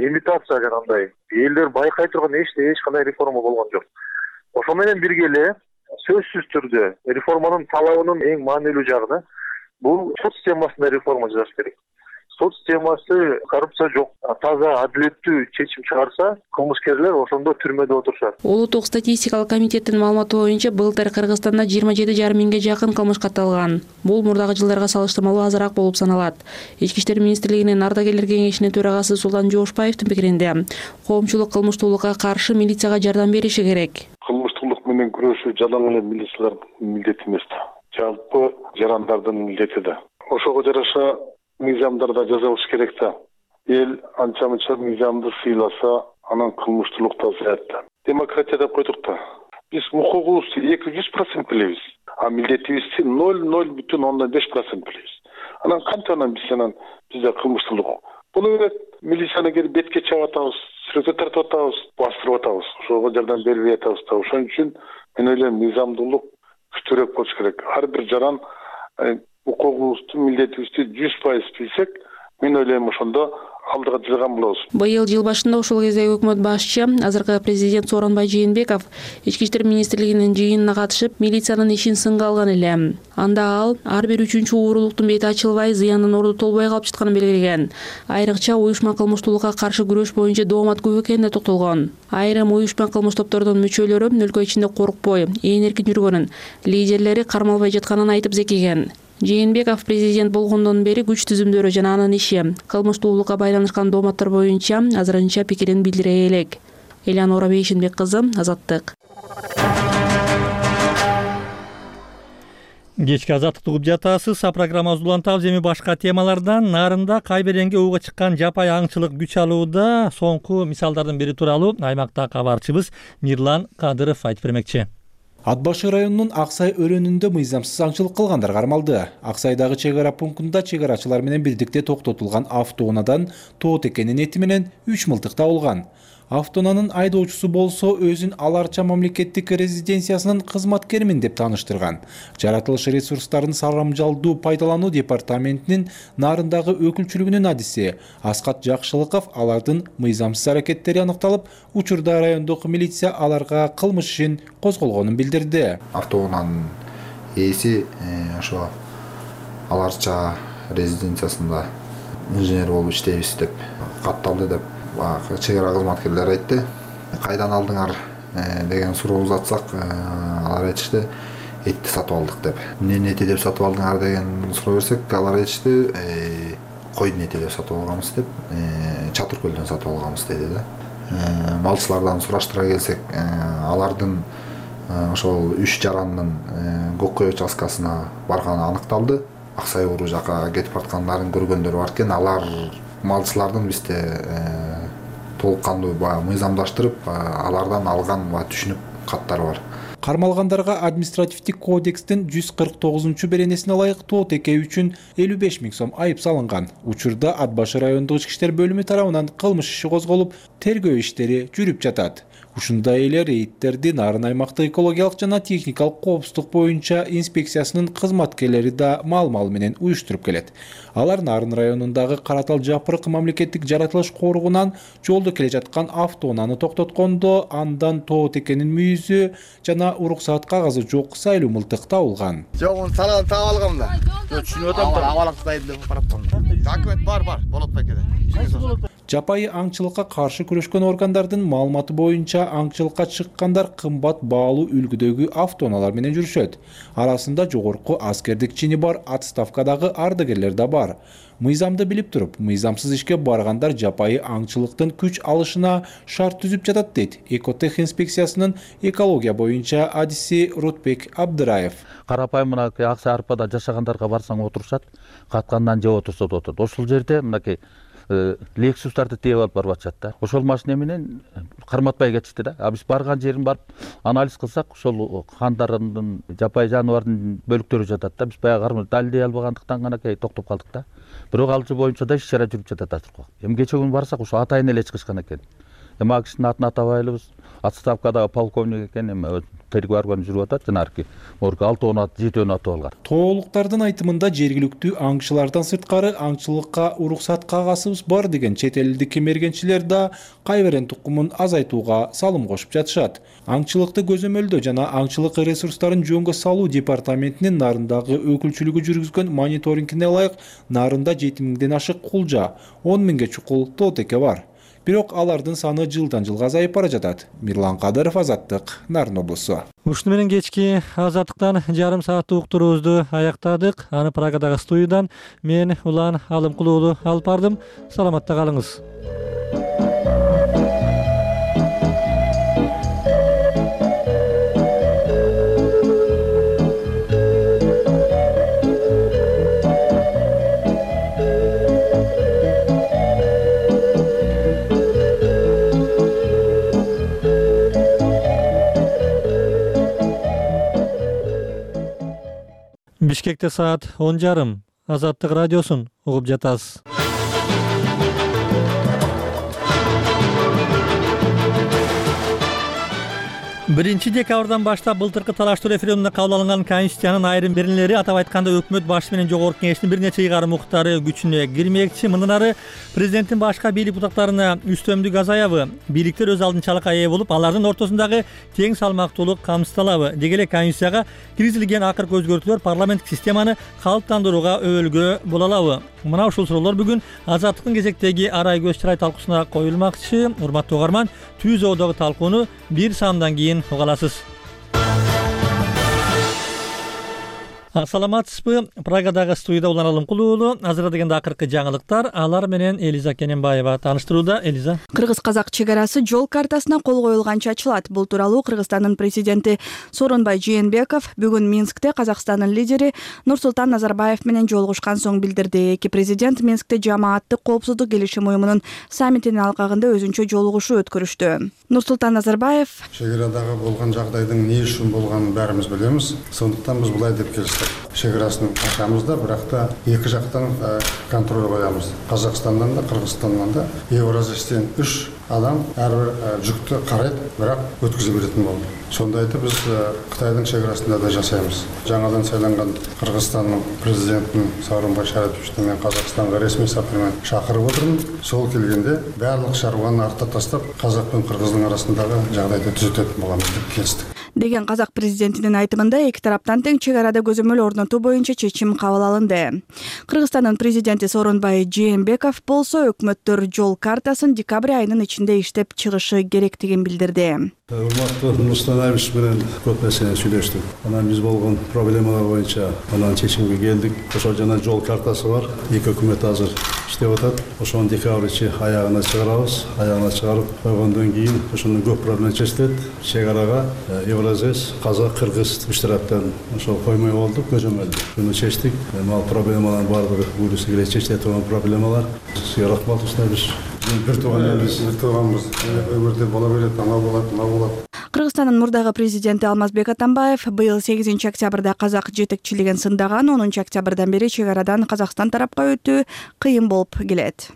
имитация жанагындай. Элдер байкай турган эч кандай реформа болгон жок. Ошо менен бирге эле сөзсүз түрдө реформанын талабынын эң маанилүү жагы бул сот системасында реформа жасаш керек. сот системасы коррупция жок, таза адилеттүү чечим чыгарса, кылмышкерлер ошондо түрмөдө отурушат. Улуттук статистикалык комитеттин маалыматы боюнча былтыр Кыргызстанда 27,5 миңге жакын кылмыш катталган. Бул мурдагы жылдарга салыштырмалуу азыраак болуп саналат. Ички иштер министрлигинин ардагерлер кеңешинин төрагасы Султан Жоошбаевдин пикиринде, коомчулук кылмыштуулукка каршы милицияга жардам бериши керек. Кылмыштуулук менен күрөшүү жалаң эле милициялардын милдети эмес да. Жалпы жарандардын милдети да. Ошого жараша мыйзамдарда жазылыш керек да. Эл анча-мынча мыйзамды сыйласа, анан кылмыштуулук да азаят да. Демократия деп койдук да. Биз укугубузду 200% билебиз, а милдетибизди 0,05% билебиз. Анан кантип бизде кылмыштуулук? Буну менен милицияны келип бетке чаап атабыз, сүрөткө тартып атабыз, бастырып атабыз. Ошого жардам бербей атабыз да. Ошон үчүн мен ойлойм, мыйзамдуулук күчтүүрөөк болуш керек. Ар бир жаран укугубузду, милдетибизди 100% билсек, мен ойлойм ошондо алдыга жылган болобуз. Быйыл жыл башында ошол кездеги өкмөт башчы, азыркы президент Сооронбай Жээнбеков Ички иштер министрлигинин жыйынына катышып, милициянын ишин сынга алган эле. Анда ал ар бир 3-чү уурулуктун бети ачылбай, зыяндын орду толбой калып жатканын белгилеген. Айрыкча уюшма кылмыштуулукка каршы күрөш боюнча доомат көп экенине токтолгон. Айрым уюшма кылмыш топтордун мүчөлөрү өлкө ичинде коркпой, ээн эркин жүргөнүн, лидерлери кармалбай жатканын айтып зекиген. Жээнбеков президент болгондон бери күч түзүмдөрү жана анын иши, кылмыштуулукка байланышкан дооматтар боюнча азырынча пикирин билдире элек. Элеонора Бейшинбек кызы, Азаттык. Кечки Азаттыкты угуп жатасыз. Программабызды улантабыз. Эми башка темалардан нарында Кайберенге ууга чыккан жапай аңчылык күч алууда соңку мисалдардын бири тууралуу аймакта кабарчыбыз Мирлан Кадыров айтып бермекчи. Ат башы районунун Аксай өрөөнүндө мыйзамсыз аңчылык кылгандар кармалды. Аксайдагы чек ара пунктунда чек арачылар менен бирдикте токтотулган автоунаадан тоот экенин эти менен 3 мылтык табылган. Автоунаанын айдоочусу болсо өзүн Аларча мамлекеттик резиденциясынын кызматкеримин деп тааныштырган. Жаратылыш ресурстарын сарамжалдуу пайдалануу департаментинин нарындагы өкүлчүлүгүнүн адиси Аскат Жакшылыков алардын мыйзамсыз аракеттери аныкталып, учурда райондук милиция аларга кылмыш ишин козголгонун билдирди. Автоунаанын ээси ошо Аларча резиденциясында инженер болуп иштейбиз деп катталды деп чек ара кызматкерлери айтты. Кайдан алдыңар деген суроо узатсак, алар айтышты, этти сатып алдык деп. Эмненин эти деп сатып алдыңар деген суроо берсек, алар айтышты, койдун эти деп сатып алганбыз деп, Чатыр көлдөн сатып алганбыз деди да. Малчылардан сураштыра келсек, алардын ошол 3 жарандын Көккөй участкасына барганы аныкталды. Аксай уру жака кетип аткандарын көргөндөр бар экен. Алар малчылардын бизде толук кандуу мыйзамдаштырып, алардан алган түшүнүк каттары бар. Кармалгандарга административдик кодекстин 149-беренесине ылайык тоот экөө үчүн 55 миң сом айып салынган. Учурда Ат башы райондук ички иштер бөлүмү тарабынан кылмыш иши козголуп, тергөө иштери жүрүп жатат. Ушундай эле рейдтерди Нарын аймактык экологиялык жана техникалык коопсуздук боюнча инспекциясынын кызматкерлери да маал-мал менен уюштуруп келет. Алар Нарын районундагы Каратал Жапырык мамлекеттик жаратылыш коргунан жолдо келе жаткан автоунааны токтоткондо андан тоот экенин мүйүзү жана уруксаат кагазы жок сайлуу мылтык табылган. Жок, муну салган таап алгам да. Түшүнүп атам да. Абалактайды деп бараптам. Документ бар, болот бекеде. Жапайы аңчылыкка каршы күрөшкөн органдардын маалыматы боюнча аңчылыкка чыккандар кымбат баалуу үлгүдөгү автоунаалар менен жүрүшөт. Арасында жогорку аскердик чини бар отставкадагы ардагерлер да бар. Мыйзамды билип туруп, мыйзамсыз ишке баргандар жапайы аңчылыктын күч алышына шарт түзүп жатат дейт Экотех инспекциясынын экология боюнча адиси Рутбек Абдыраев. Карапайым мынакей Аксай арпада жашагандарга барсаң отурушат, каткандан жеп отурса да отурат. Ошол жерде мынакей Лексустарды тээп алып барып атышат да. Ошол машина менен карматпай кетишти да. Биз барган жерин барып анализ кылсак, ошол кандардын жапай жаныбардын бөлүктөрү жатат да. Биз баягы далилдей албагандыктан гана токтоп калдык да. Бирок ал боюнча да иш-чара жүрүп жатат азыр. Эми кече күнү барсак, ошо атайын эле чыгышкан экен. Эми ал кишинин атын атабайлыбыз. отставкадагы полковник экен, эми переговорун жүрүп атат. Жанагы 6-7 атып алган. Тоолуктардын айтымында жергиликтүү аңчылардан сырткары аңчылыкка уруксат кагасыбыз бар деген чет элдик кемергенчилер да кайберен тукумун азайтууга салым кошуп жатышат. Аңчылыкты көзөмөлдөө жана аңчылык ресурстарын жөнгө салуу департаментинин Нарындагы өкүлчүлүгү жүргүзгөн мониторингине ылайык Нарында 7 000ден ашык кулжа, 10 000ге чукул тоотеке бар. Бирок алардын саны жылдан жылга азайып бара жатат. Мирлан Кадыров, Азаттык, Нарын облусу. Ушуну менен кечки Азаттыктан жарым сааттык уктуруубузду аяктадык. Аны Прагадагы студиядан мен Улан Алымкулуулу алып бардым. Саламатта калыңыз. Бишкекте саат 10:30. Азаттык радиосун угуп жатасыз. 1 декабрдан баштап былтыркы талаштуу референдумда кабыл алынган Конституциянын айрым беренелери, атап айтканда өкмөт башы менен жогорку кеңештин бир нече ыйгарым укуктары күчүнө кирмекчи. Мындан ары президенттин башка бийлик бутактарына үстөмдүк азаябы? Бийликтер өз алдынчалыкка ээ болуп, алардын ортосундагы тең салмактуулук камсыздалабы? Деги эле Конституцияга киргизилген акыркы өзгөртүүлөр парламенттик системаны калыптандырууга өбөлгө боло алабы? Мына ушул суроолор бүгүн Азаттыктын кезектеги арай көз чырай талкуусуна коюлмакчы. Урматтуу угарман, түз оодогу талкууну бир саамдан кийин уга аласыз. Саламатсызбы? Прагадагы студияда Улан Алымкулуулу. Азырда дегенде акыркы жаңылыктар. Алар менен Элиза Кененбаева тааныштырууда. Элиза. Кыргыз-казак чек арасы жол картасына кол коюлганча ачылат. Бул тууралуу Кыргызстандын президенти Сооронбай Жээнбеков бүгүн Минскте Казакстандын лидери Нурсултан Назарбаев менен жолугушкан соң билдирди. Эки президент Минскте жамааттык коопсуздук келишим уюмунун саммитинин алкагында өзүнчө жолугушуу өткөрүштү. Нурсултан Назарбаев: чек арадагы болгон жагдайдын эмне үчүн болгонун баарыбыз билебиз. Сондуктан биз булай деп келиштик. Чек арасын ачабыз да, бирок да эки жактан контроль коябыз. Казакстандан да, Кыргызстандан да Евразиядан 3 адам ар бир жүктү карайт, бирок өткүзө беретін болду. Сонда айтып биз Кытайдын чек арасында да жасайбыз. Жаңадан сайланган Кыргызстандын президентин Сооронбай Шариповичти мен Казакстанга ресми сапар менен чакырып отурмун. Сол келгенде барлык чаруаны артта таштап, Казак менен Кыргыздын арасындагы жагдайды түзөтөт боламыз деп келиштик. Деген казак президентинин айтымында эки тараптан тең чек арада көзөмөл орнотуу боюнча чечим кабыл алынды. Кыргызстандын президенти Сооронбай Жээнбеков болсо өкмөттөр жол картасын декабрь айынын ичинде иштеп чыгышы керектигин билдирди. Урматтуу Нурсултан Абишевич менен көп нерсени сүйлөштүк. Анан биз болгон проблемалар боюнча анан чечимге келдик. Ошол жана жол картасы бар. Эки өкмөт азыр иштеп атат. Ошону декабрь ичи аягына чыгарабыз. Аягына чыгарып койгондон кийин ошондон көп проблема чечилет. Чек арага Евразес, Казак, Кыргыз үч тараптан ошол коймой болдук, көзөмөлдү. Буну чечтик. Ал проблемалардын баардыгы буюрса келе чечиле турган проблемалар. Сизге рахмат устабыз. Бир тууганбыз. Өмүрдө бола берет, ана болот, мына болот. Кыргызстандын мурдагы президенти Алмазбек Атамбаев быйыл 8 октябрда казак жетекчилигин сындаган, 10 октябрдан бери чек арадан Казакстан тарапка өтүү кыйын болуп келет.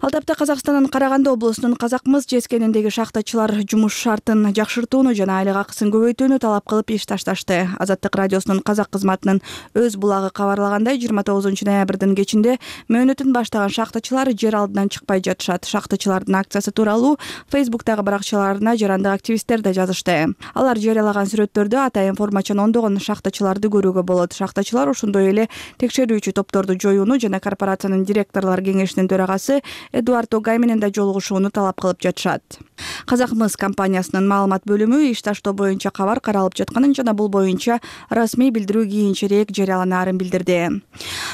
Ал тапта Казакстандын Караганды облусунун Казакмыс жескениндеги шахтачылар жумуш шартын жакшыртууну жана айлык акысын көбөйтүүнү талап кылып иш ташташты. Азаттык радиосунун казак кызматынын өз булагы кабарлагандай, 29 ноябрдын кечинде мөөнөтүн баштаган шахтачылар жер алдынан чыкпай жатышат. Шахтачылардын акциясы тууралуу Фейсбуктагы баракчаларына жарандык активисттер да жазышты. Алар жарыялаган сүрөттөрдө атайын формачан ондогон шахтачыларды көрүүгө болот. Шахтачылар ошондой эле текшерүүчү топторду жоюуну жана корпорациянын директорлор кеңешинин төрагасы Эдуард Огай менен да жолугушууну талап кылып жатышат. Казакмыс компаниясынын маалымат бөлүмү иш таштоо боюнча кабар каралып жатканын жана бул боюнча расмий билдирүү кийинчерээк жарыяланаарын билдирди.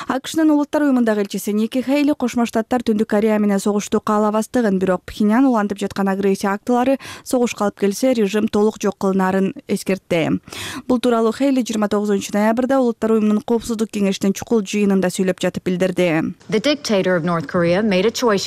АКШнын улуттар уюмундагы элчиси Ники Хейли Кошмо Штаттар Түндүк Корея менен согушту каалабастыгын, бирок Пхеньян улантып жаткан агрессия актылары согушка алып келсе, режим толук жок кылынаарын эскертти. Бул тууралуу Хейли 29 ноябрда улуттар уюмунун коопсуздук кеңешинин чукул жыйынында сүйлөп жатып билдирди. The dictator of North Korea made a choice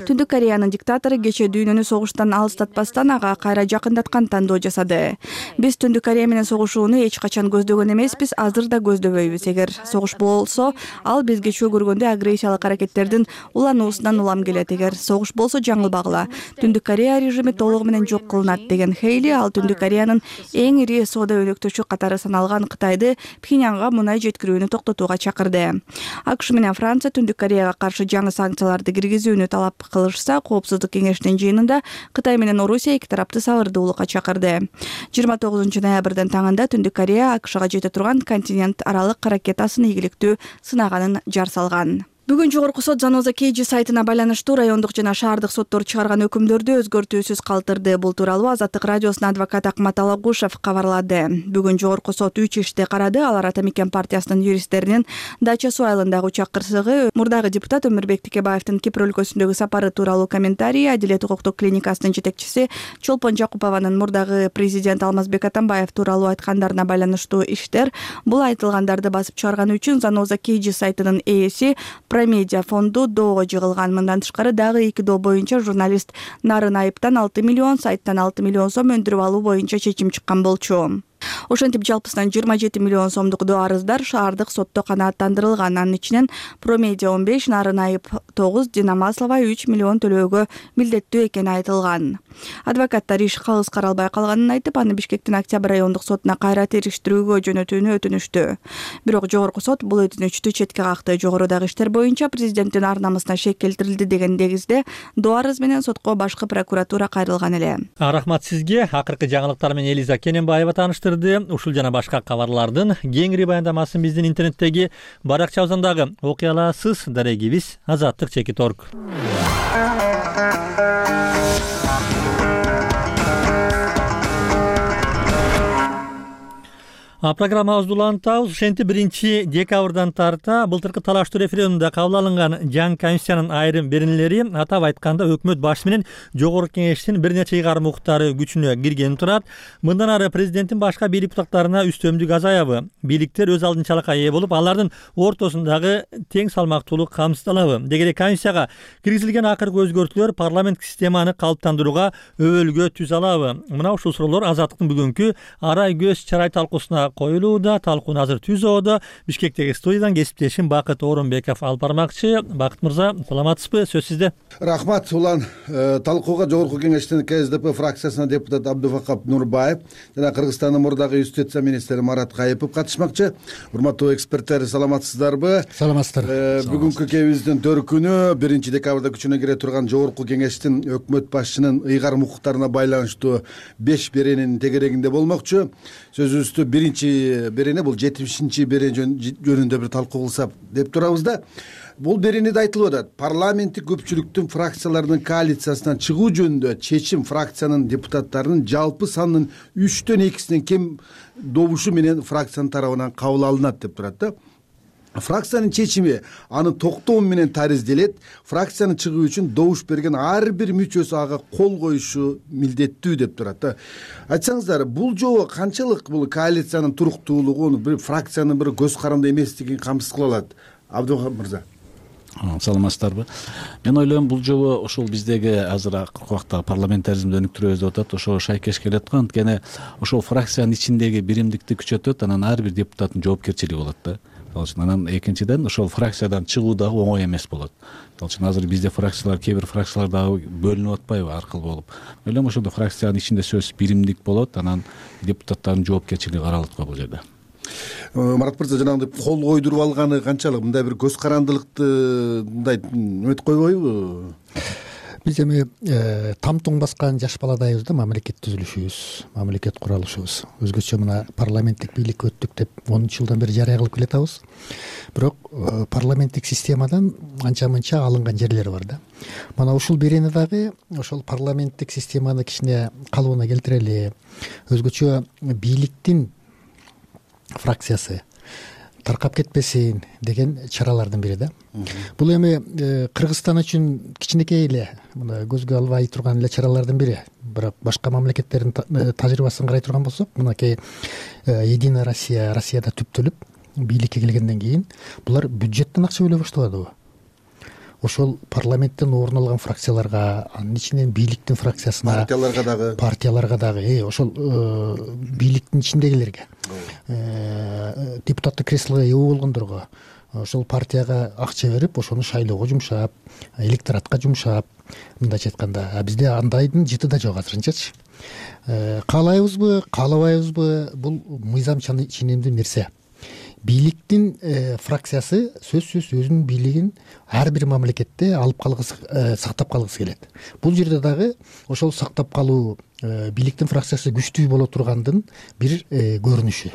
Түндүк Кореянын диктатору кечээ дүйнөнү согуштан алыстатпастан ага кайра жакындаткан тандоо жасады. Биз Түндүк Корея менен согушууну эч качан көздөгөн эмеспиз, азыр да көздөбөйбүз. Эгер согуш болсо, ал бизге чөө көргөндө агрессиялык аракеттердин улануусунан улам келет. Эгер согуш болсо жаңылбагыла. Түндүк Корея режими толугу менен жок кылынат деген Хейли, ал Түндүк Кореянын эң ири соода өнөктөшү катары саналган Кытайды Пхеньянга мунай жеткирүүнү токтотууга чакырды. АКШ менен Франция Түндүк Кореяга каршы жаңы санкцияларды киргизүүнү талап кылышса, Коопсуздук кеңешинин жыйынында Кытай менен Орусия эки тарапты сабырдуулукка чакырды. 29 ноябрдын таңында Түндүк Корея АКШга жете турган континент аралык ракетасын ийгиликтүү сынаганын жар салган. Бүгүн Жогорку сот Заноза Кейджи сайтына байланыштуу райондук жана шаардык соттор чыгарган өкүмдөрдү өзгөртүүсүз калтырды. Бул тууралуу Азаттык радиосунун адвокаты Акмат Алагушев кабарлады. Бүгүн Жогорку сот 3 ишти карады. Алар Ата Мекен партиясынын юристтеринин Дача суу айылындагы учак кырсыгы, мурдагы депутат Өмүрбек Текебаевдин Кипр өлкөсүндөгү сапары тууралуу комментарий, Адилет укуктук клиникасынын жетекчиси Чолпон Жакупованын мурдагы президент Алмазбек Атамбаев тууралуу айткандарына байланыштуу иштер. Бул айтылгандарды басып чыгарган үчүн Заноза Кейджи сайтынын ээси Промедиа фонду доого жыгылган. Мындан тышкары дагы 2 доо боюнча журналист Нарын Айыптан 6 миллион, сайттан 6 миллион сом өндүрүп алуу боюнча чечим чыккан болчу. Ошентип жалпысынан 27 миллион сомдук доо арыздар шаардык сотто канааттандырылган. Анын ичинен Промедиа 15, Нарын Айып 9, Дина Маслова 3 миллион төлөөгө милдеттүү экени айтылган. Адвокаттар иш калыс каралбай калганын айтып, аны Бишкектин Октябрь райондук сотуна кайра териштирүүгө жөнөтүүнү өтүнүштү. Бирок Жогорку сот бул өтүнүчтү четке какты. Жогорудагы иштер боюнча президенттин ар намысына шек келтирилди деген негизде доо арыз менен сотко башкы прокуратура кайрылган эле. Рахмат сизге. Акыркы жаңылыктар менен Элиза Кененбаева таныштырды. Ушул жана башка кабарлардын кеңири баяндамасын биздин интернеттеги баракчабыздагы окуяларсыз дарегибиз Азаттык.org. Программабызды улантабыз. Ошентип 1-декабрдан тарта былтыркы талаштуу референдумда кабыл алынган жаңы конституциянын айрым беренелери, атап айтканда өкмөт башы менен Жогорку кеңештин бир нече ыйгарым укуктары күчүнө киргени турат. Мындан ары президенттин башка бийлик бутактарына үстөмдүк азаябы? Бийликтер өз алдынчалыкка ээ болуп, алардын ортосундагы тең салмактуулук камсыздалабы? Деги конституцияга киргизилген акыркы өзгөртүүлөр парламенттик системаны калыптандырууга өбөлгө түз алабы? Мына ушул суроолор Азаттыктын бүгүнкү арай көз чарай талкуусуна коюлууда. Талкууну азыр түзүүдө Бишкектеги студиядан кесиптешим Бакыт Оронбеков алып бармакчы. Бакыт мырза, саламатсызбы? Сөз сизде. Рахмат. Улан талкууга Жогорку кеңештин КСДП фракциясынан депутат Абдувакап Нурбаев жана Кыргызстандын мурдагы юстиция министри Марат Кайыпов катышмакчы. Урматтуу эксперттер, саламатсыздарбы? Саламатсыздар. Бүгүнкү кебиздин төркүнү 1-декабрда күчүнө кире турган Жогорку кеңештин өкмөт башчынын ыйгарым укуктарына байланыштуу 5 беренин тегерегинде болмокчу. Сөзүбүздү биринчи берене бул 70 берене жөнүндө бир талкуу кылсак деп турабыз да. Бул беренеде айтылып атат, парламенттик көпчүлүктүн фракциялардын коалициясынан чыгуу жөнүндө чечим фракциянын депутаттарынын жалпы санынын 3/2 кем добушу менен фракциянын тарабынан кабыл алынат деп турат да. Фракциянын чечими аны токтоо менен таризделет. Фракциянын чыгуу үчүн добуш берген ар бир мүчөсү ага кол коюшу милдеттүү деп турат да. Айтсаңыздар, бул жолу канчалык бул коалициянын туруктуулугун, бир фракциянын бир көз каранды эместигин камсыз кыла алат? Абдувахап мырза. Саламатсыздарбы? Мен ойлойм, бул жолу ошол биздеги азыр акыркы убакта парламентаризмди өнүктүрөбүз деп атат, ошого шайкеш келет аткан. Анткени ошол фракциянын ичиндеги биримдикти күчөтөт, анан ар бир депутаттын жоопкерчилиги болот да. Анан экинчиден ошол фракциядан чыгуу дагы оңой эмес болот. Азыр бизде фракциялар, кээ бир фракциялар дагы бөлүнүп атпайбы аркылуу болуп. Ойлойм, ошондо фракциянын ичинде сөзсүз биримдик болот, анан депутаттардын жоопкерчилиги каралат го бул жерде. Марат мырза, жанагындай кол койдуруп алганы канчалык? Мындай бир көз карандылыкты мындай өтүп койбойбу? Биз эми тамтуң баскан жаш баладайбыз да, мамлекет түзүлүшүбүз, мамлекет куралышыбыз. Өзгөчө мына парламенттик бийликке өттүк деп 10 жылдан бери жарыя кылып келатабыз. Бирок парламенттик системадан анча-мынча алынган жерлери бар да. Мына ушул берени дагы ошол парламенттик системаны кичине калыбына келтирели. Өзгөчө бийликтин фракциясы таркап кетпесин деген чаралардын бири да. Бул эми Кыргызстан үчүн кичинекей эле, мына көзгө албай турган эле чаралардын бири. Бирок башка мамлекеттердин тажрыйбасын карай турган болсок, мынакей Единая Россияда түптөлүп бийликке келгенден кийин булар бюджеттен акча бөлө баштабадыбы? ошол парламенттен орун алган фракцияларга, анын ичинен бийликтин фракциясына, партияларга дагы ошол бийликтин ичиндегилерге, депутаттык креслого ээ болгондорго ошол партияга акча берип, ошону шайлоого жумшап, электоратка жумшап, мындайча айтканда, бизде андайдын жыты да жок азырынчачы. Каалайбызбы, каалабайбызбы, бул мыйзам ченемдүү нерсе. Бийликтин фракциясы сөзсүз өзүнүн бийлигин ар бир мамлекетте алып калгысы, сактап калгысы келет. Бул жерде дагы ошол сактап калуу, бийликтин фракциясы күчтүү боло тургандын бир көрүнүшү.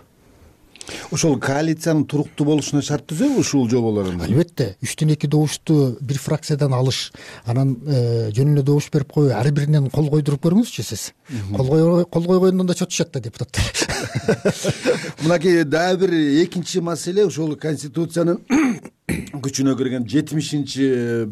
Ошол коалициянын туруктуу болушуна шарт түзөбү ушул жоболорун? Албетте, 3/2 добушту бир фракциядан алыш, анан жөн эле добуш берип коюу, ар биринен кол койдуруп көрүңүзчү сиз. Кол койгондон да чотушат да депутаттар. Мынакей дагы бир экинчи маселе, ошол Конституциянын күчүнө кирген 72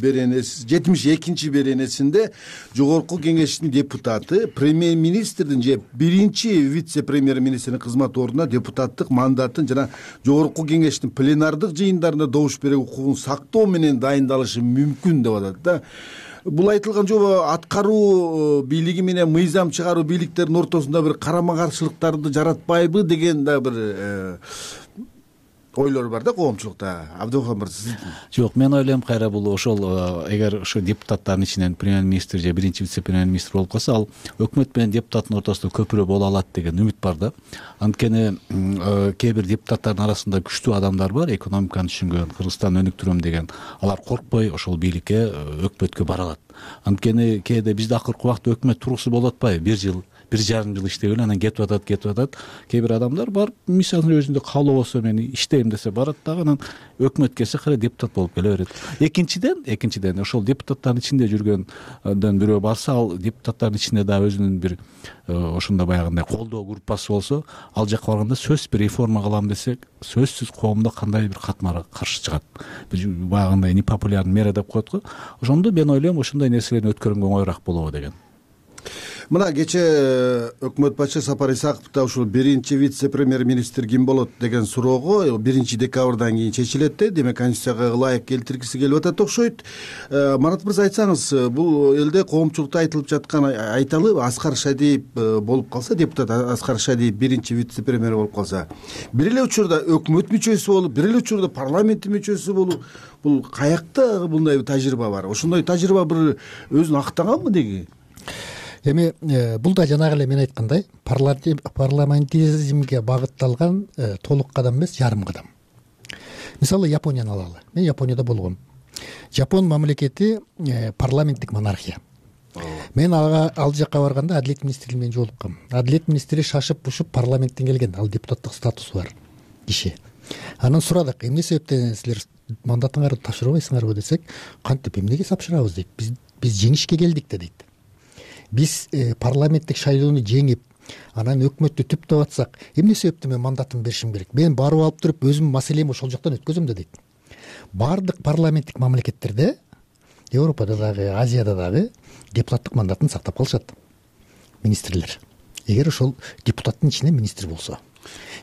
беренесинде Жогорку Кеңештин депутаты премьер-министрдин же биринчи вице-премьер-министрдин кызмат ордуна депутаттык мандатын жана Жогорку Кеңештин пленардык жыйындарында добуш берүү укугун сактоо менен дайындалышы мүмкүн деп атат да. Бул айтылган жобо аткаруу бийлиги менен мыйзам чыгаруу бийликтердин ортосунда бир карама каршылыктарды жаратпайбы деген да бир ойлор бар да коомчулукта. Абдыхан мырза. Жок, мен ойлойм кайра бул ошол эгер ошо депутаттардын ичинен премьер-министр же биринчи вице-премьер-министр болуп калса, ал өкмөт менен депутаттын ортосунда көпүрө боло алат деген үмүт бар да. Анткени кээ бир депутаттардын арасында күчтүү адамдар бар, экономиканы түшүнгөн, Кыргызстанды өнүктүрөм деген. Алар коркпой ошол бийликке, өкмөткө бара алат. Анткени кээде бизде акыркы убакта өкмөт тургусу болуп атпайбы? 1 жыл, 1 жарым жыл иштеп эле анан кетип атат. Кээ бир адамдар бар, мисалын өзүндө каалоо болсо мен иштейм десе барат дагы, анан өкмөт келсе кайра депутат болуп келе берет. Экинчиден ошол депутаттардын ичинде жүргөндөн бирөө барса, ал депутаттардын ичинде дагы өзүнүн бир ошондой баягындай колдоо группасы болсо, ал жакка барганда сөзсүз бир реформа кылам десек, сөзсүз коомдо кандай бир катмар каршы чыгат. Баягындай непопулярный мера деп коет го. Ошондо мен ойлойм ошондой нерселерди өткөргөнгө оңоюраак болобу деген. Мына кечээ өкмөт башчы Сапар Исаков да ушул биринчи вице-премьер-министр ким болот деген суроого 1 декабрдан кийин чечилет да, демек Конституцияга ылайык келтиргиси келип атат окшойт. Марат мырза, айтсаңыз, бул элде коомчулукта айтылып жаткан айталы Аскар Шадиев болуп калса, депутат Аскар Шадиев биринчи вице-премьер болуп калса, бир эле учурда өкмөт мүчөсү болуп, бир эле учурда парламенттин мүчөсү болуп, бул каякта мындай тажрыйба бар? Ошондой тажрыйба бир өзүн актаганбы деги? Эми бул да жанагы эле мен айткандай парламентаризмге багытталган толук кадам эмес, жарым кадам. Мисалы Японияны алалы. Мен Японияда болгом. Жапон мамлекети парламенттик монархия. Мен ал жакка барганда Адилет министри менен жолуккам. Адилет министри шашып-бушуп парламенттен келген, ал депутаттык статусу бар киши. Анан сурадык, эмне себептен силер мандатыңарды тапшырбайсыңарбы десек, кантип эмнеге тапшырабыз дейт. Биз жеңишке келдик да дейт. Биз парламенттик шайлоону жеңип, анан өкмөттү түптөп атсак, эмне себептен мен мандатымды беришим керек? Мен барып алып туруп өзүмдүн маселемди ошол жактан өткөзөм да дейт. Бардык парламенттик мамлекеттерде, Европада дагы, Азияда дагы депутаттык мандатын сактап калышат министрлер. Эгер ошол депутаттын ичинен министр болсо.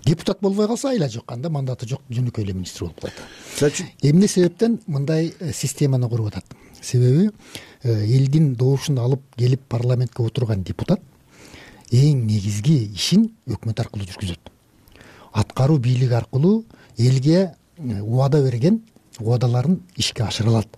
Депутат болбой калса айла жок, анда мандаты жок, жөнөкөй эле министр болуп калат. Эмне себептен мындай системаны куруп атат? Себеби элдин добушун алып келип парламентке отурган депутат эң негизги ишин өкмөт аркылуу жүргүзөт. Аткаруу бийлиги аркылуу элге убада берген убадаларын ишке ашыра алат.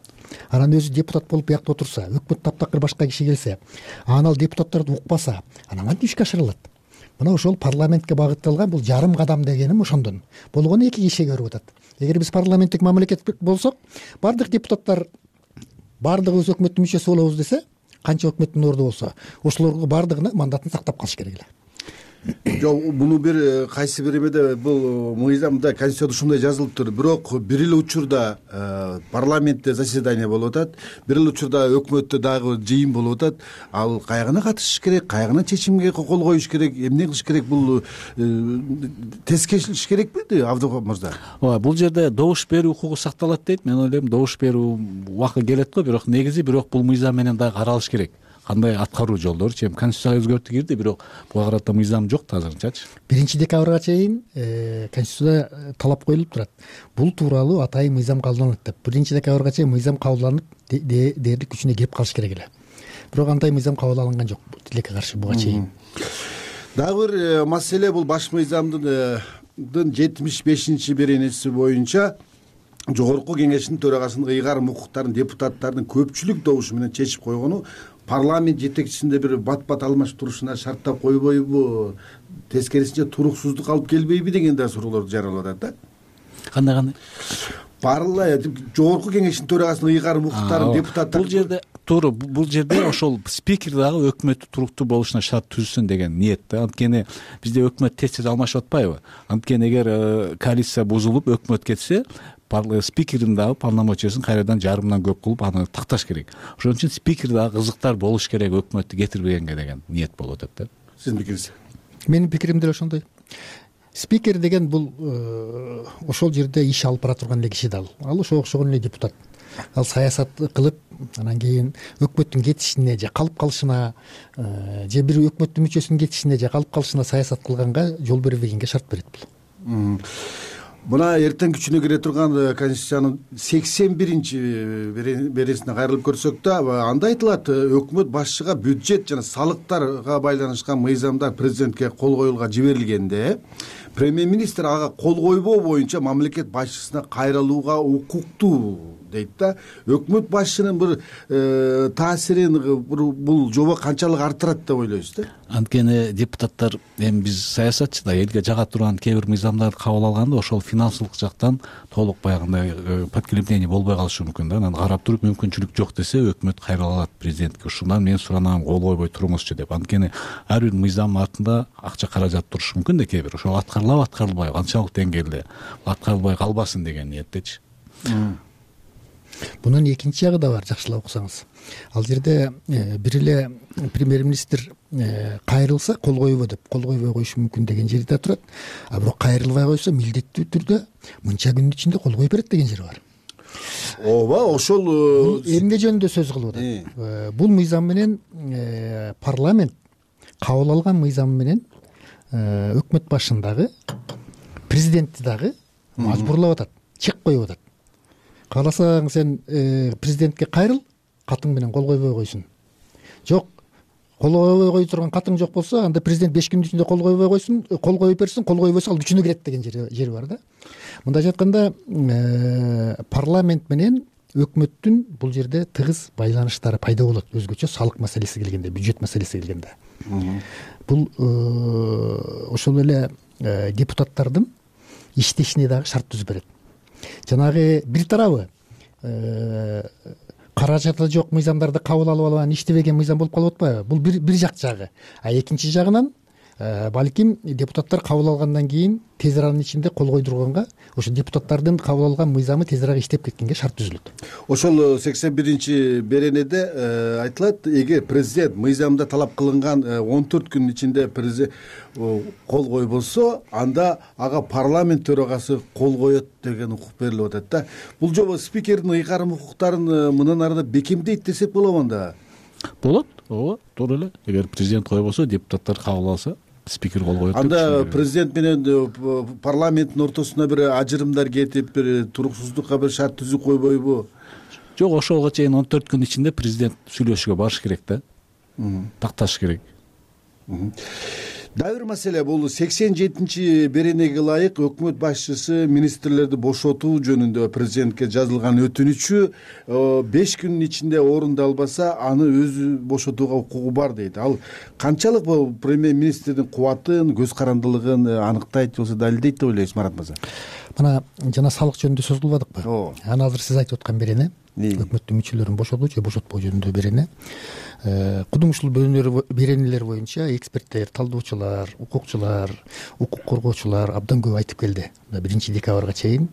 Анан өзү депутат болуп биякта отурса, өкмөт таптакыр башка киши келсе, анан ал депутаттарды укпаса, анан кантип ишке ашыра алат? Мына ошол парламентке багытталган бул жарым кадам дегеним ошондон. Болгону эки кишиге көрүп атат. Эгер биз парламенттик мамлекет болсок, бардык депутаттар бардыгыбыз өкмөттүн мүчөсү болобуз десе, канча өкмөттүн орду болсо, ошолорго бардыгына мандатын сактап калыш керек эле. Жок, буну бир кайсы бир эмеде бул мыйзамда, Конституцияда ушундай жазылыптыр. Бирок бир эле учурда парламентте заседание болуп атат, бир эле учурда өкмөттө дагы жыйын болуп атат. Ал кайгына катышыш керек, кайгына чечимге кол коюш керек, эмне кылыш керек? Бул тез кечилиш керекпи, Абдыхан мырза? Ооба, бул жерде добуш берүү укугу сакталат дейт. Мен ойлойм, добуш берүү убакыты келет го, бирок негизи бул мыйзам менен дагы каралыш керек. кандай аткаруу жолдоручу? Эми конституцияга өзгөртүү кирди, бирок буга карата мыйзам жок да азырынчачы. 1 декабрга чейин конституцияда талап коюлуп турат. Бул тууралуу атайын мыйзам кабылданат деп. 1 декабрга чейин мыйзам кабылданып дээрлик күчүнө кирип калыш керек эле. Бирок андай мыйзам кабыл алынган жок тилекке каршы буга чейин. Дагы бир маселе бул баш мыйзамдын 75 беренеси боюнча Жогорку Кеңештин төрагасынын ыйгарым укуктарын депутаттардын көпчүлүк добушу менен чечип койгону парламент жетекчисинде бир бат-бат алмашып турушуна шарттап койбойбу, тескерисинче туруксуздук алып келбейби деген да суроолорду жаралап атат да. Кандай? Жогорку Кеңештин төрагасынын ыйгарым укуктарын депутаттар бул жерде туура, бул жерде ошол спикер дагы өкмөттү туруктуу болушуна шарт түзсүн деген ниет да. Анткени бизде өкмөт тез алмашып атпайбы? Анткени эгер коалиция бузулуп өкмөт кетсе, спикердин дагы полномочиясын кайрадан жарымдан көп кылып аны такташ керек. Ошон үчүн спикер дагы кызыктар болуш керек өкмөттү кетирбегенге деген ниет болуп атат да. Сиздин пикириңиз? Менин пикирим деле ошондой. Спикер деген бул ошол жерде иш алып бара турган эле киши да ал ошого окшогон эле депутат. Ал саясат кылып, анан кийин өкмөттүн кетишине же калып калышына, же бир өкмөттүн мүчөсүнүн кетишине же калып калышына саясат кылганга жол бербегенге шарт берет бул. Мына эртең күчүнө кире турган Конституциянын 81 беренесине кайрылып көрсөк да, анда айтылат өкмөт башчыга бюджет жана салыктарга байланышкан мыйзамдар президентке кол коюлууга жиберилгенде, премьер-министр ага кол койбоо боюнча мамлекет башчысына кайрылууга укуктуу дейт да. Өкмөт башчынын бир таасирин бул жоба канчалык арттырат деп ойлойсуз да? Анткени депутаттар, эми биз саясатчы да, элге жага турган кээ бир мыйзамдарды кабыл алганда ошол финансылык жактан толук баягындай подкрепление болбой калышы мүмкүн да. Анан карап туруп мүмкүнчүлүк жок десе өкмөт кайрыла алат президентке. Ушундан мен суранам, кол койбой туруңузчу деп. Анткени ар бир мыйзамдын артында акча каражат турушу мүмкүн да кээ бир. Ошол аткарылабы, аткарылбайбы, канчалык деңгээлде аткарылбай калбасын деген ниеттечи. Бунун экинчи жагы да бар, жакшылап уксаңыз. Ал жерде бир эле премьер-министр кайрылса кол койбо деп, кол койбой коюшу мүмкүн деген жери да турат. А бирок кайрылбай койсо милдеттүү түрдө мынча күндүн ичинде кол коюп берет деген жери бар. Ооба, ошол эмне жөнүндө сөз кылып атат. Бул мыйзам менен парламент кабыл алган мыйзам менен өкмөт башын дагы, президентти дагы мажбурлап атат, чек коюп атат. Кааласаң сен президентке кайрыл, катың менен кол койбой койсун. Жок, кол койбой кое турган катың жок болсо, анда президент 5 күндүн ичинде кол койбой койсун, кол коюп берсин, кол койбосо ал күчүнө кирет деген жери бар да. Мындайча айтканда, парламент менен өкмөттүн бул жерде тыгыз байланыштары пайда болот, өзгөчө салык маселеси келгенде, бюджет маселеси келгенде. Бул ошол эле депутаттардын иштешине дагы шарт түзүп берет. Жанагы бир тарабы каражаты жок мыйзамдарды кабыл алып алган, иштебеген мыйзам болуп калып атпайбы? Бул бир жак жагы. А экинчи жагынан балким депутаттар кабыл алгандан кийин тез аранын ичинде кол койдурганга, ошо депутаттардын кабыл алган мыйзамы тезирээк иштеп кеткенге шарт түзүлөт. Ошол 81 беренеде айтылат, эгер президент мыйзамда талап кылынган 14 күнүн ичинде президент кол койбосо, анда ага парламент төрагасы кол коет деген укук берилип атат да. Бул жоба спикердин ыйгарым укуктарын мындан арыда бекемдейт десек болобу анда? Болот, ооба, туура эле. Эгер президент койбосо, депутаттар кабыл алса, спикер кол коет. Анда президент менен парламенттин ортосуна бир ажырымдар кетип, бир туруксуздукка бир шарт түзүп койбойбу? Жок, ошого чейин 14 күн ичинде президент сүйлөшүүгө барыш керек да. Такташ керек. Дагы бир маселе, бул 87 беренеге ылайык өкмөт башчысы министрлерди бошотуу жөнүндө президентке жазылган өтүнүчү 5 күнүн ичинде орундалбаса, аны өзү бошотууга укугу бар дейт. Ал канчалык бул премьер-министрдин кубатын, көз карандылыгын аныктайт болсо далилдейт деп ойлойсуз, Марат мырза? Мына жана салык жөнүндө сөз кылбадыкпы? Аны азыр сиз айтып аткан берене, өкмөттүн мүчөлөрүн бошотуу же бошотпоо жөнүндө берене. Кудум ушул беренелер боюнча эксперттер, талдоочулар, укукчулар, укук коргоочулар абдан көп айтып келди. 1 декабрга чейин,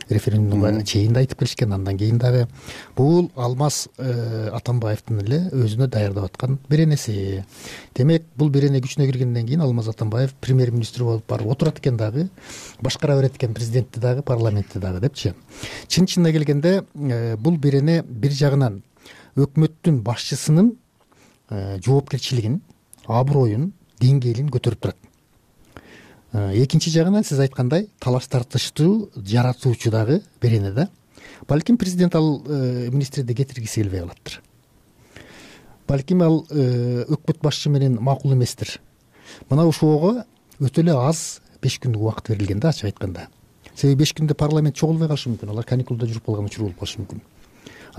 референдумга чейин да айтып келишкен, андан кийин дагы бул Алмаз Атамбаевдин эле өзүнө даярдап аткан беренеси. Демек, бул берене күчүнө киргенден кийин Алмаз Атамбаев премьер-министр болуп барып отурат экен дагы, башкара берет экен президентти дагы, парламентти дагы депчи. Чын-чынына келгенде бул берене бир жагынан өкмөттүн башчысынын жоопкерчилигин, аброюн, деңгээлин көтөрүп турат. Экинчи жагынан сиз айткандай талаш тартыштуу жаратуучу дагы берене да. Балким президент ал министрди кетиргиси келбей калаттыр. Балким ал өкмөт башчы менен макул эместир. Мына ошого өтө эле аз 5 күндүк убакыт берилген да, ачык айтканда. Себеби 5 күндө парламент чогулбой калышы мүмкүн. Алар каникулда жүрүп калган учур болуп калышы мүмкүн.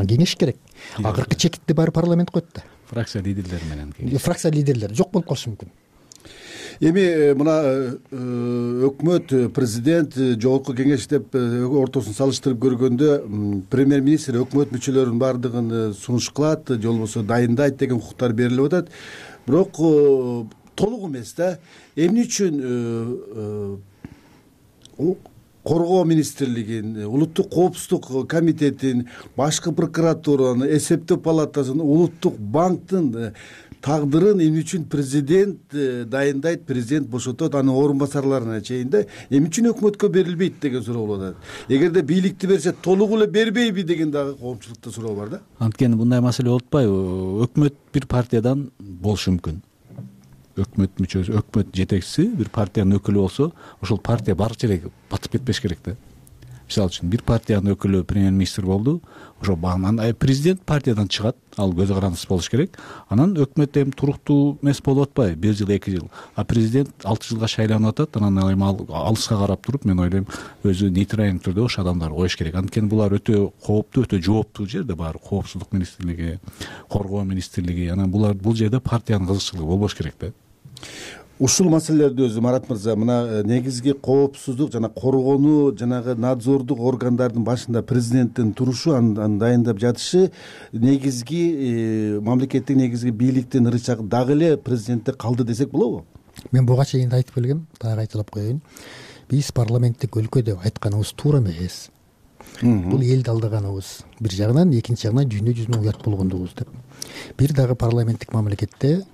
Кеңеш керек. Акыркы чекитти баары парламент коет да. Фракция лидерлери менен. Фракция лидерлери жок болуп калышы мүмкүн. Эми мына өкмөт, президент, жогорку кеңеш деп ортосун салыштырып көргөндө премьер-министр өкмөт мүчөлөрүнүн баардыгын сунуш кылат, же болбосо дайындайт деген укуктар берилип атат. Бирок толук эмес да. Эмне үчүн коргоо министрлигин, улуттук коопсуздук комитетин, башкы прокуратуранын, эсептөө палатасын, улуттук банктын тагдырын эмне үчүн президент дайындайт, президент бошотот, анын орун басарларына чейин да эмне үчүн өкмөткө берилбейт деген суроо болуп атат. Эгерде бийликти берсе толук эле бербейби деген дагы коомчулукта суроо бар да. Анткени мындай маселе болуп атпайбы? Өкмөт бир партиядан болушу мүмкүн. Өкмөт мүчөсү, өкмөт жетекчиси бир партиянын өкүлү болсо, ошол партия баары жерге батып кетпеш керек да. Мисалы үчүн бир партиянын өкүлү премьер-министр болду, ошо президент партиядан чыгат, ал көз карандысыз болуш керек. Анан өкмөт эми туруктуу эмес болуп атпайбы, 1 жыл, 2 жыл. А президент 6 жылга шайланып атат, анан эми ал алыска карап туруп, мен ойлойм, өзү нейтралдуу түрдө ошо адамдарды коюш керек. Анткени булар өтө кооптуу, өтө жооптуу жерде баары, коопсуздук министрлиги, коргоо министрлиги, анан бул жерде партиянын кызыкчылыгы болбош керек да. Ушул маселелерди өзү Марат мырза, мына негизги коопсуздук жана коргоону жанагы надзордук органдардын башында президенттин турушу, аны дайындап жатышы негизги мамлекеттик негизги бийликтин ырычагы дагы эле президентте калды десек болобу? Мен буга чейин айтып келгем, дагы айтылып коеюн. Биз парламенттик өлкө деп айтканыбыз туура эмес. Бул элди алдаганыбыз бир жагынан, экинчи жагынан дүйнө жүзүнө уят болгондугубуз деп. Бир дагы парламенттик мамлекетте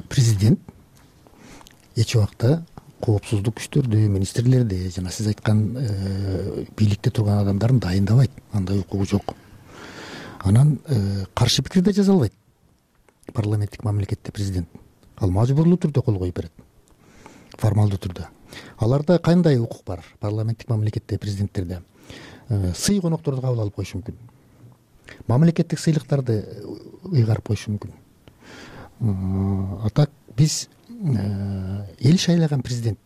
президент эч убакта коопсуздук күчтөрдү, министрлерди жана сиз айткан бийликте турган адамдарын дайындабайт. Андай укугу жок. Анан каршы пикир да жаза албайт. Парламенттик мамлекетте президент ал мажбурлуу түрдө кол коюп берет. Формалдуу түрдө. Аларда кандай укук бар? Парламенттик мамлекетте президенттерде сый конокторду кабыл алып коюшу мүмкүн. Мамлекеттик сыйлыктарды ыйгарып коюшу мүмкүн. А так биз эл шайлаган президент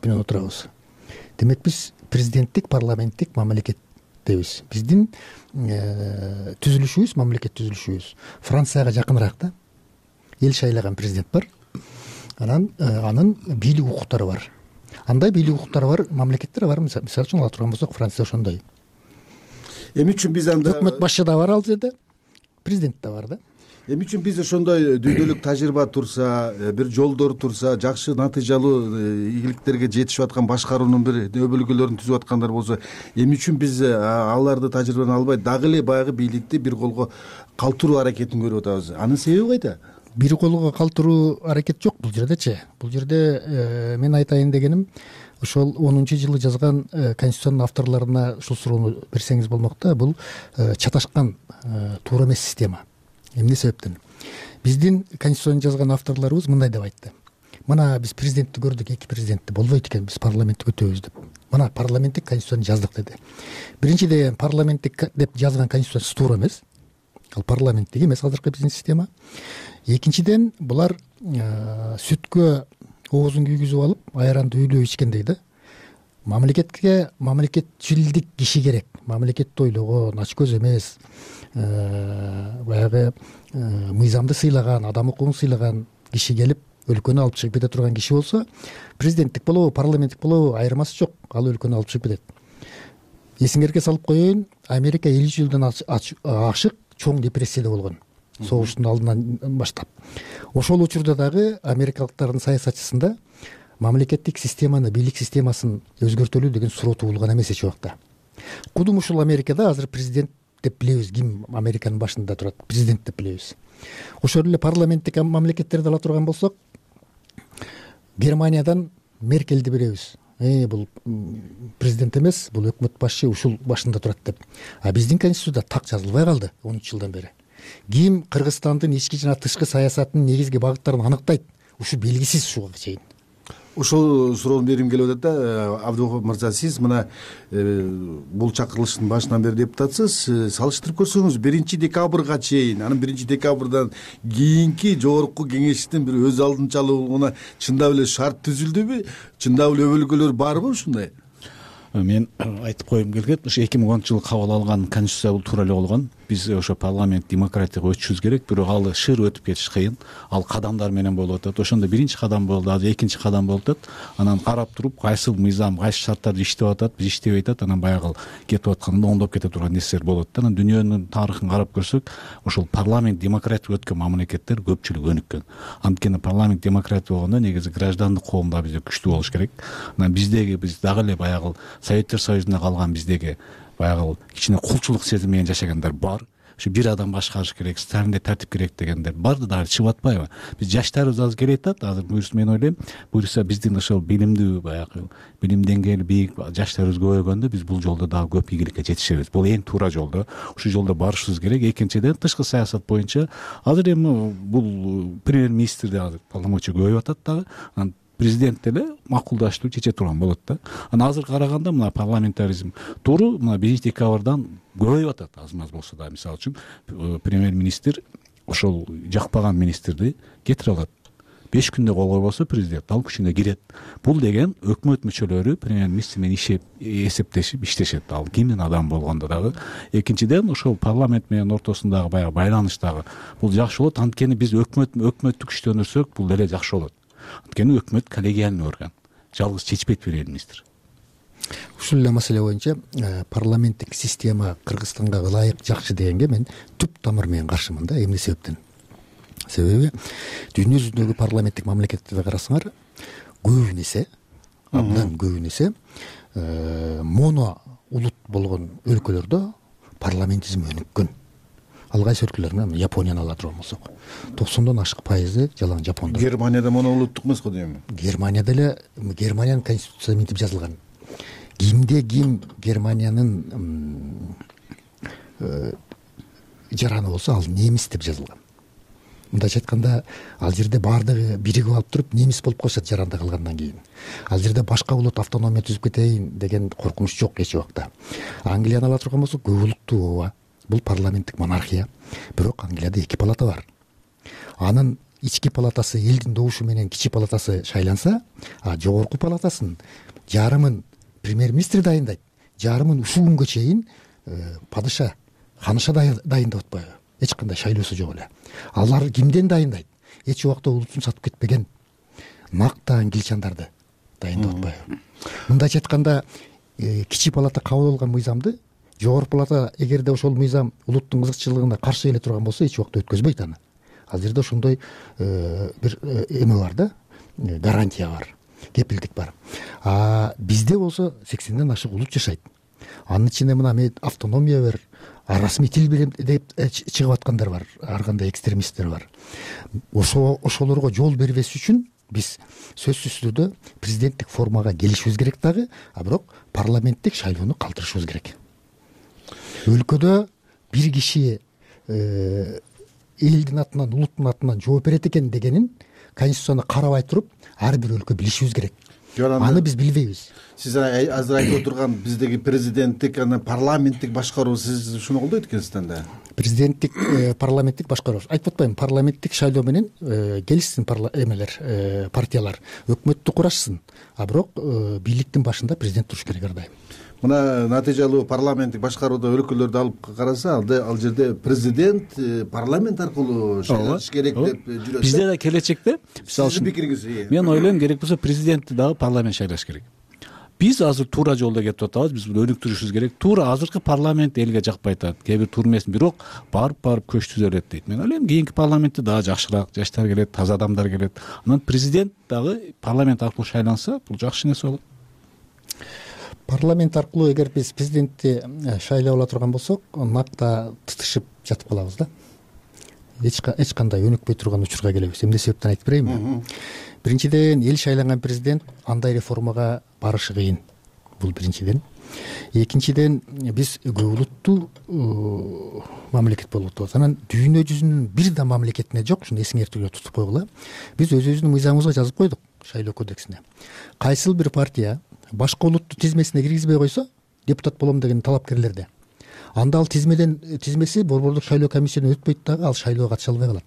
менен отурабыз. Демек биз президенттик парламенттик мамлекеттебиз. Биздин түзүлүшүбүз, мамлекет түзүлүшүбүз Францияга жакыныраак да. Эл шайлаган президент бар. Анын бийлик укуктары бар. Андай бийлик укуктары бар мамлекеттер бар. Мисалы үчүн ала турган болсок, Франция ошондой. Эми үчүн биз анда өкмөт башчы да бар ал жерде, президент да бар да. Эми үчүн бизде ошондой дүйнөлүк тажрыйба турса, бир жолдор турса, жакшы натыйжалуу ийгиликтерге жетишип аткан башкаруунун бир өбөлгөлөрүн түзүп аткандар болсо, эми үчүн биз аларды тажрыйбаны албай дагы эле баягы бийликти бир колго калтыруу аракетин көрүп атабыз. Анын себеби кайда? Бир колго калтыруу аракет жок бул жердечи. Бул жерде мен айтайын дегеним, ошол 10-жылы жазган конституциянын авторлоруна ушул суроону берсеңиз болмок да. Бул чаташкан туура эмес система. Эмне себептен? Биздин конституцияны жазган авторлорубуз мындай деп айтты. Мына биз президентти көрдүк, 2 президентти болбойт экен, биз парламентти өтөбүз деп. Мына парламенттик конституцияны жаздык деди. Биринчиден парламенттик деп жазган конституция туура эмес. Ал парламенттик эмес азыркы биздин система. Экинчиден булар сүткө оозун күйгүзүп алып, айранды үйлөп ичкендей да. Мамлекетке мамлекетчилдик киши керек. Мамлекетти ойлогон, ачкөз эмес, баягы мыйзамды сыйлаган, адам укугун сыйлаган киши келип өлкөнү алып чыгып кете турган киши болсо, президенттик болобу, парламенттик болобу айырмасы жок. Ал өлкөнү алып чыгып кетет. Эсиңерге салып коеюн, Америка 50 жылдан ашык чоң депрессияда болгон. Согуштун алдынан баштап. Ошол учурда дагы америкалыктардын саясатчысында мамлекеттик системаны, бийлик системасын өзгөртөлүү деген суроо туулган эмес эч убакта. Кудум ушул Америкада азыр президент деп билебиз, ким Американын башында турат, президент деп билебиз. Ошол эле парламенттик мамлекеттерди ала турган болсок, Германиядан Меркельди билебиз. Бул президент эмес, бул өкмөт башчы, ушул башында турат деп. А биздин конституцияда так жазылбай калды 13 жылдан бери. ким Кыргызстандын ички жана тышкы саясатынын негизги багыттарын аныктайт, ушу белгисиз ушуга чейин. Ошол суроону бергим келип атат да. Абдыков мырза, сиз мына бул чакырылыштын башынан бери депутатсыз. Салыштырып көрсөңүз 1 декабрга чейин, анан 1 декабрдан кийинки жогорку кеңештин бир өз алдынчалыгына чындап эле шарт түзүлдүбү? Чындап эле өбөлгөлөр барбы ушундай? Мен айтып коюм келет, ушу 2010-жылы кабыл алган конституция бул туура эле болгон. Биз ошо парламент демократияга өтүшүбүз керек, бирок ал шыр өтүп кетиш кыйын. Ал кадамдар менен болуп атат. Ошондо биринчи кадам болду, азыр экинчи кадам болуп атат. Анан карап туруп, кайсы мыйзам, кайсы шарттарда иштеп атат, биз иштебей атат, анан баягы кетип атканда оңдоп кете турган нерселер болот да. Анан дүйнөнүн тарыхын карап көрсөк, ошол парламент демократия өткөн мамлекеттер көпчүлүгү өнүккөн. Анткени парламент демократия болгондо негизи граждандык коом да бизде күчтүү болуш керек. Анан биз дагы эле баягы Советтер Союзунда калган биздеги баягы кичине кулчулук сезими менен жашагандар бар. Ушу бир адам башкарыш керек, Сталинде тартип керек дегендер барды дагы чыгып атпайбы? Биз жаштарыбыз азыр келет атат. Азыр буюрса мен ойлойм, буюрса биздин ошол билимдүү баягы билим деңгээли бийик жаштарыбыз көбөйгөндө биз бул жолдо дагы көп игиликке жетишебиз. Бул эң туура жолдо. Ушу жолдо барышыбыз керек. Экинчиден, тышкы саясат боюнча азыр эми бул премьер-министрде азыр полномочия көбөйүп атат дагы. Президент деле макулдаштуу чече турган болот да. Анан азыр караганда мына парламентаризм туру мына 1 декабрдан көбөйүп атат аз-маз болсо да. Мисалы үчүн премьер-министр ошол жакпаган министрди кетире алат. 5 күндө кол койбосо президент ал күчүнө кирет. Бул деген өкмөт мүчөлөрү премьер-министр менен эсептешип иштешет. Ал кимдин адам болгондо дагы. Экинчиден, ошол парламент менен ортосундагы баягы байланыш дагы бул жакшы болот. Анткени биз өкмөттү күчтөндүрсөк, бул деле жакшы болот. Анткени өкмөт коллегиальный орган. Жалгыз чечпейт премьер-министр. Ушул эле маселе боюнча парламенттик система Кыргызстанга ылайык, жакшы дегенге мен түп тамыр менен каршымын да. Эмне себептен? Себеби дүйнө жүзүндөгү парламенттик мамлекеттерди карасаңар, көбүн эсе, абдан көбүн эсе моно улут болгон өлкөлөрдө парламентизм өнүккөн. Ал кайсы өлкөлөр менен Японияны ала турган болсок, 90дон ашык пайызы жалаң жапондор. Германияда моно улуттук эмес го дейм. Германияда эле Германиянын конституциясында мынтип жазылган. Кимде ким Германиянын жараны болсо, ал немис деп жазылган. Мындайча айтканда, ал жерде баардыгы биригип алып туруп немис болуп калышат жаранда калгандан кийин. Ал жерде башка улут автономия түзүп кетейин деген коркунуч жок эч убакта. Англияны ала турган болсок, көп улуттуу ооба. Бул парламенттик монархия. Бирок Англияда 2 палата бар. Анын ички палатасы элдин добушу менен кичи палатасы шайланса, жогорку палатасын жарымын премьер-министр дайындайт, жарымын ушул күнгө чейин падыша, ханыша дайындап атпайбы? Эч кандай шайлоосу жок эле. Алар кимден дайындайт? Эч убакта улутун сатып кетпеген накта англичандарды дайындап атпайбы? Мындайча айтканда, кичи палата кабыл алган мыйзамды жогорку палата эгерде ошол мыйзам улуттун кызыкчылыгына каршы келе турган болсо, эч убакта өткөзбөйт аны. Ал жерде ошондой бир эме бар да, гарантия бар, кепилдик бар. Бизде болсо 80ден ашык улут жашайт. Анын ичинде мына автономия бер, расмий тил деп чыгып аткандар бар, ар кандай экстремисттер бар. Ошолорго жол бербеш үчүн биз сөзсүз түрдө президенттик формага келишибиз керек дагы, бирок парламенттик шайлоону калтырышыбыз керек. Өлкөдө бир киши элдин атынан, улуттун атынан жооп берет экен дегенин конституцияны карабай туруп, ар бир өлкө билишибиз керек. Аны биз билбейбиз. Сиз азыр айтып отурган биздеги президенттик, парламенттик башкаруу, сиз ушуну колдойт экенсиз да? Президенттик, парламенттик башкаруу. Айтып атпайбы, парламенттик шайлоо менен келишсин партиялар, өкмөттү курашсын. Бирок бийликтин башында президент туруш керек ар дайым. Мына натыйжалуу парламенттик башкарууда өлкөлөрдү алып караса, ал жерде президент парламент аркылуу шайланыш керек деп жүрөт. Бизде да келечекте, сиздин пикириңиз? Мен ойлойм, керек болсо президентти дагы парламент шайлаш керек. Биз азыр туура жолдо кетип атабыз, биз буну өнүктүрүшүбүз керек. Туура азыркы парламент элге жакпай атат, кээ бир турмесин, бирок барып көч түзөлөт дейт. Мен ойлойм, кийинки парламентте дагы жакшыраак жаштар келет, таза адамдар келет. Анан президент дагы парламент аркылуу шайланса, бул жакшы нерсе болот. Парламент аркылуу эгер биз президентти шайлап ала турган болсок, накта тытышып жатып калабыз да. Эч кандай өнүкпөй турган учурга келебиз. Эмне себептен айтып берейинби? Биринчиден, эл шайланган президент андай реформага барышы кыйын. Бул биринчиден. Экинчиден, биз көп улуттуу мамлекет болуп атабыз. Анан дүйнө жүзүнүн бир да мамлекетине жок, ушуну эсиңердиге тутуп койгула. Биз өзүбүздүн мыйзамыбызга жазып койдук, шайлоо кодексине. Кайсыл бир партия башка улутту тизмесине киргизбей койсо, депутат болом деген талапкерлерде, анда ал тизмеси борбордук шайлоо комиссиядан өтпөйт дагы, ал шайлоого катыша албай калат.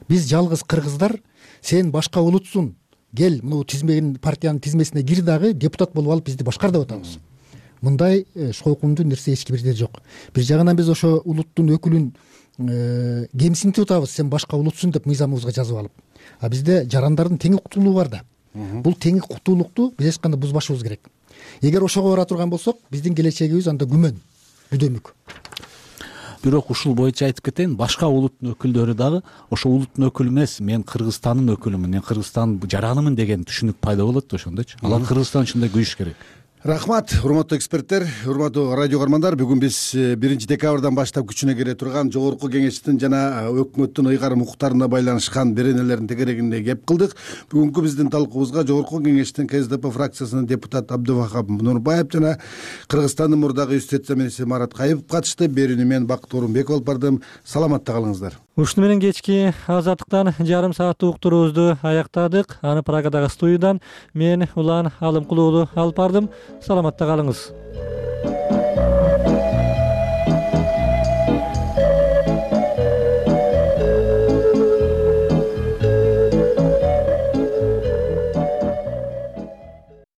Биз жалгыз кыргыздар, сен башка улутсуң, кел мына партиянын тизмесине кир дагы депутат болуп алып бизди башкар деп атабыз. Мындай шойкундуу нерсе эч кимде жок. Бир жагынан биз ошо улуттун өкүлүн кемсинтип атабыз, сен башка улутсуң деп мыйзамыбызга жазып алып. А бизде жарандардын тең укуктуулугу бар да. Бул тең укуктуулукту биз эч кандай бузбашыбыз керек. Эгер ошого бара турган болсок, биздин келечегибиз анда күмөн, күдөмүк. Бирок ушул боюнча айтып кетейин, башка улуттун өкүлдөрү дагы ошо улуттун өкүлү эмес, мен Кыргызстандын өкүлүмүн, мен Кыргызстандын жаранымын деген түшүнүк пайда болот ошондочу. Алар Кыргызстан ушундай күйүш керек. Рахмат, урматтуу эксперттер, урматтуу радио каармандар. Бүгүн биз 1 декабрдан баштап күчүнө кире турган Жогорку Кеңештин жана өкмөттүн ыйгарым укуктарына байланышкан беренелердин тегерегинде кеп кылдык. Бүгүнкү биздин талкуубузга Жогорку Кеңештин КСДП фракциясынын депутаты Абдывахап Нурбаев жана Кыргызстандын мурдагы үстөт заминчиси Марат Кайыпов катышты. Берүүнү мен Бакыт Орунбеков алып бардым. Саламатта калыңыздар. Ушуну менен кечки Азаттыктан жарым сааттык уктуруубузду аяктадык. Аны Прагадагы студиядан мен Улан Алымкулуу алып бардым. Саламатта калыңыз.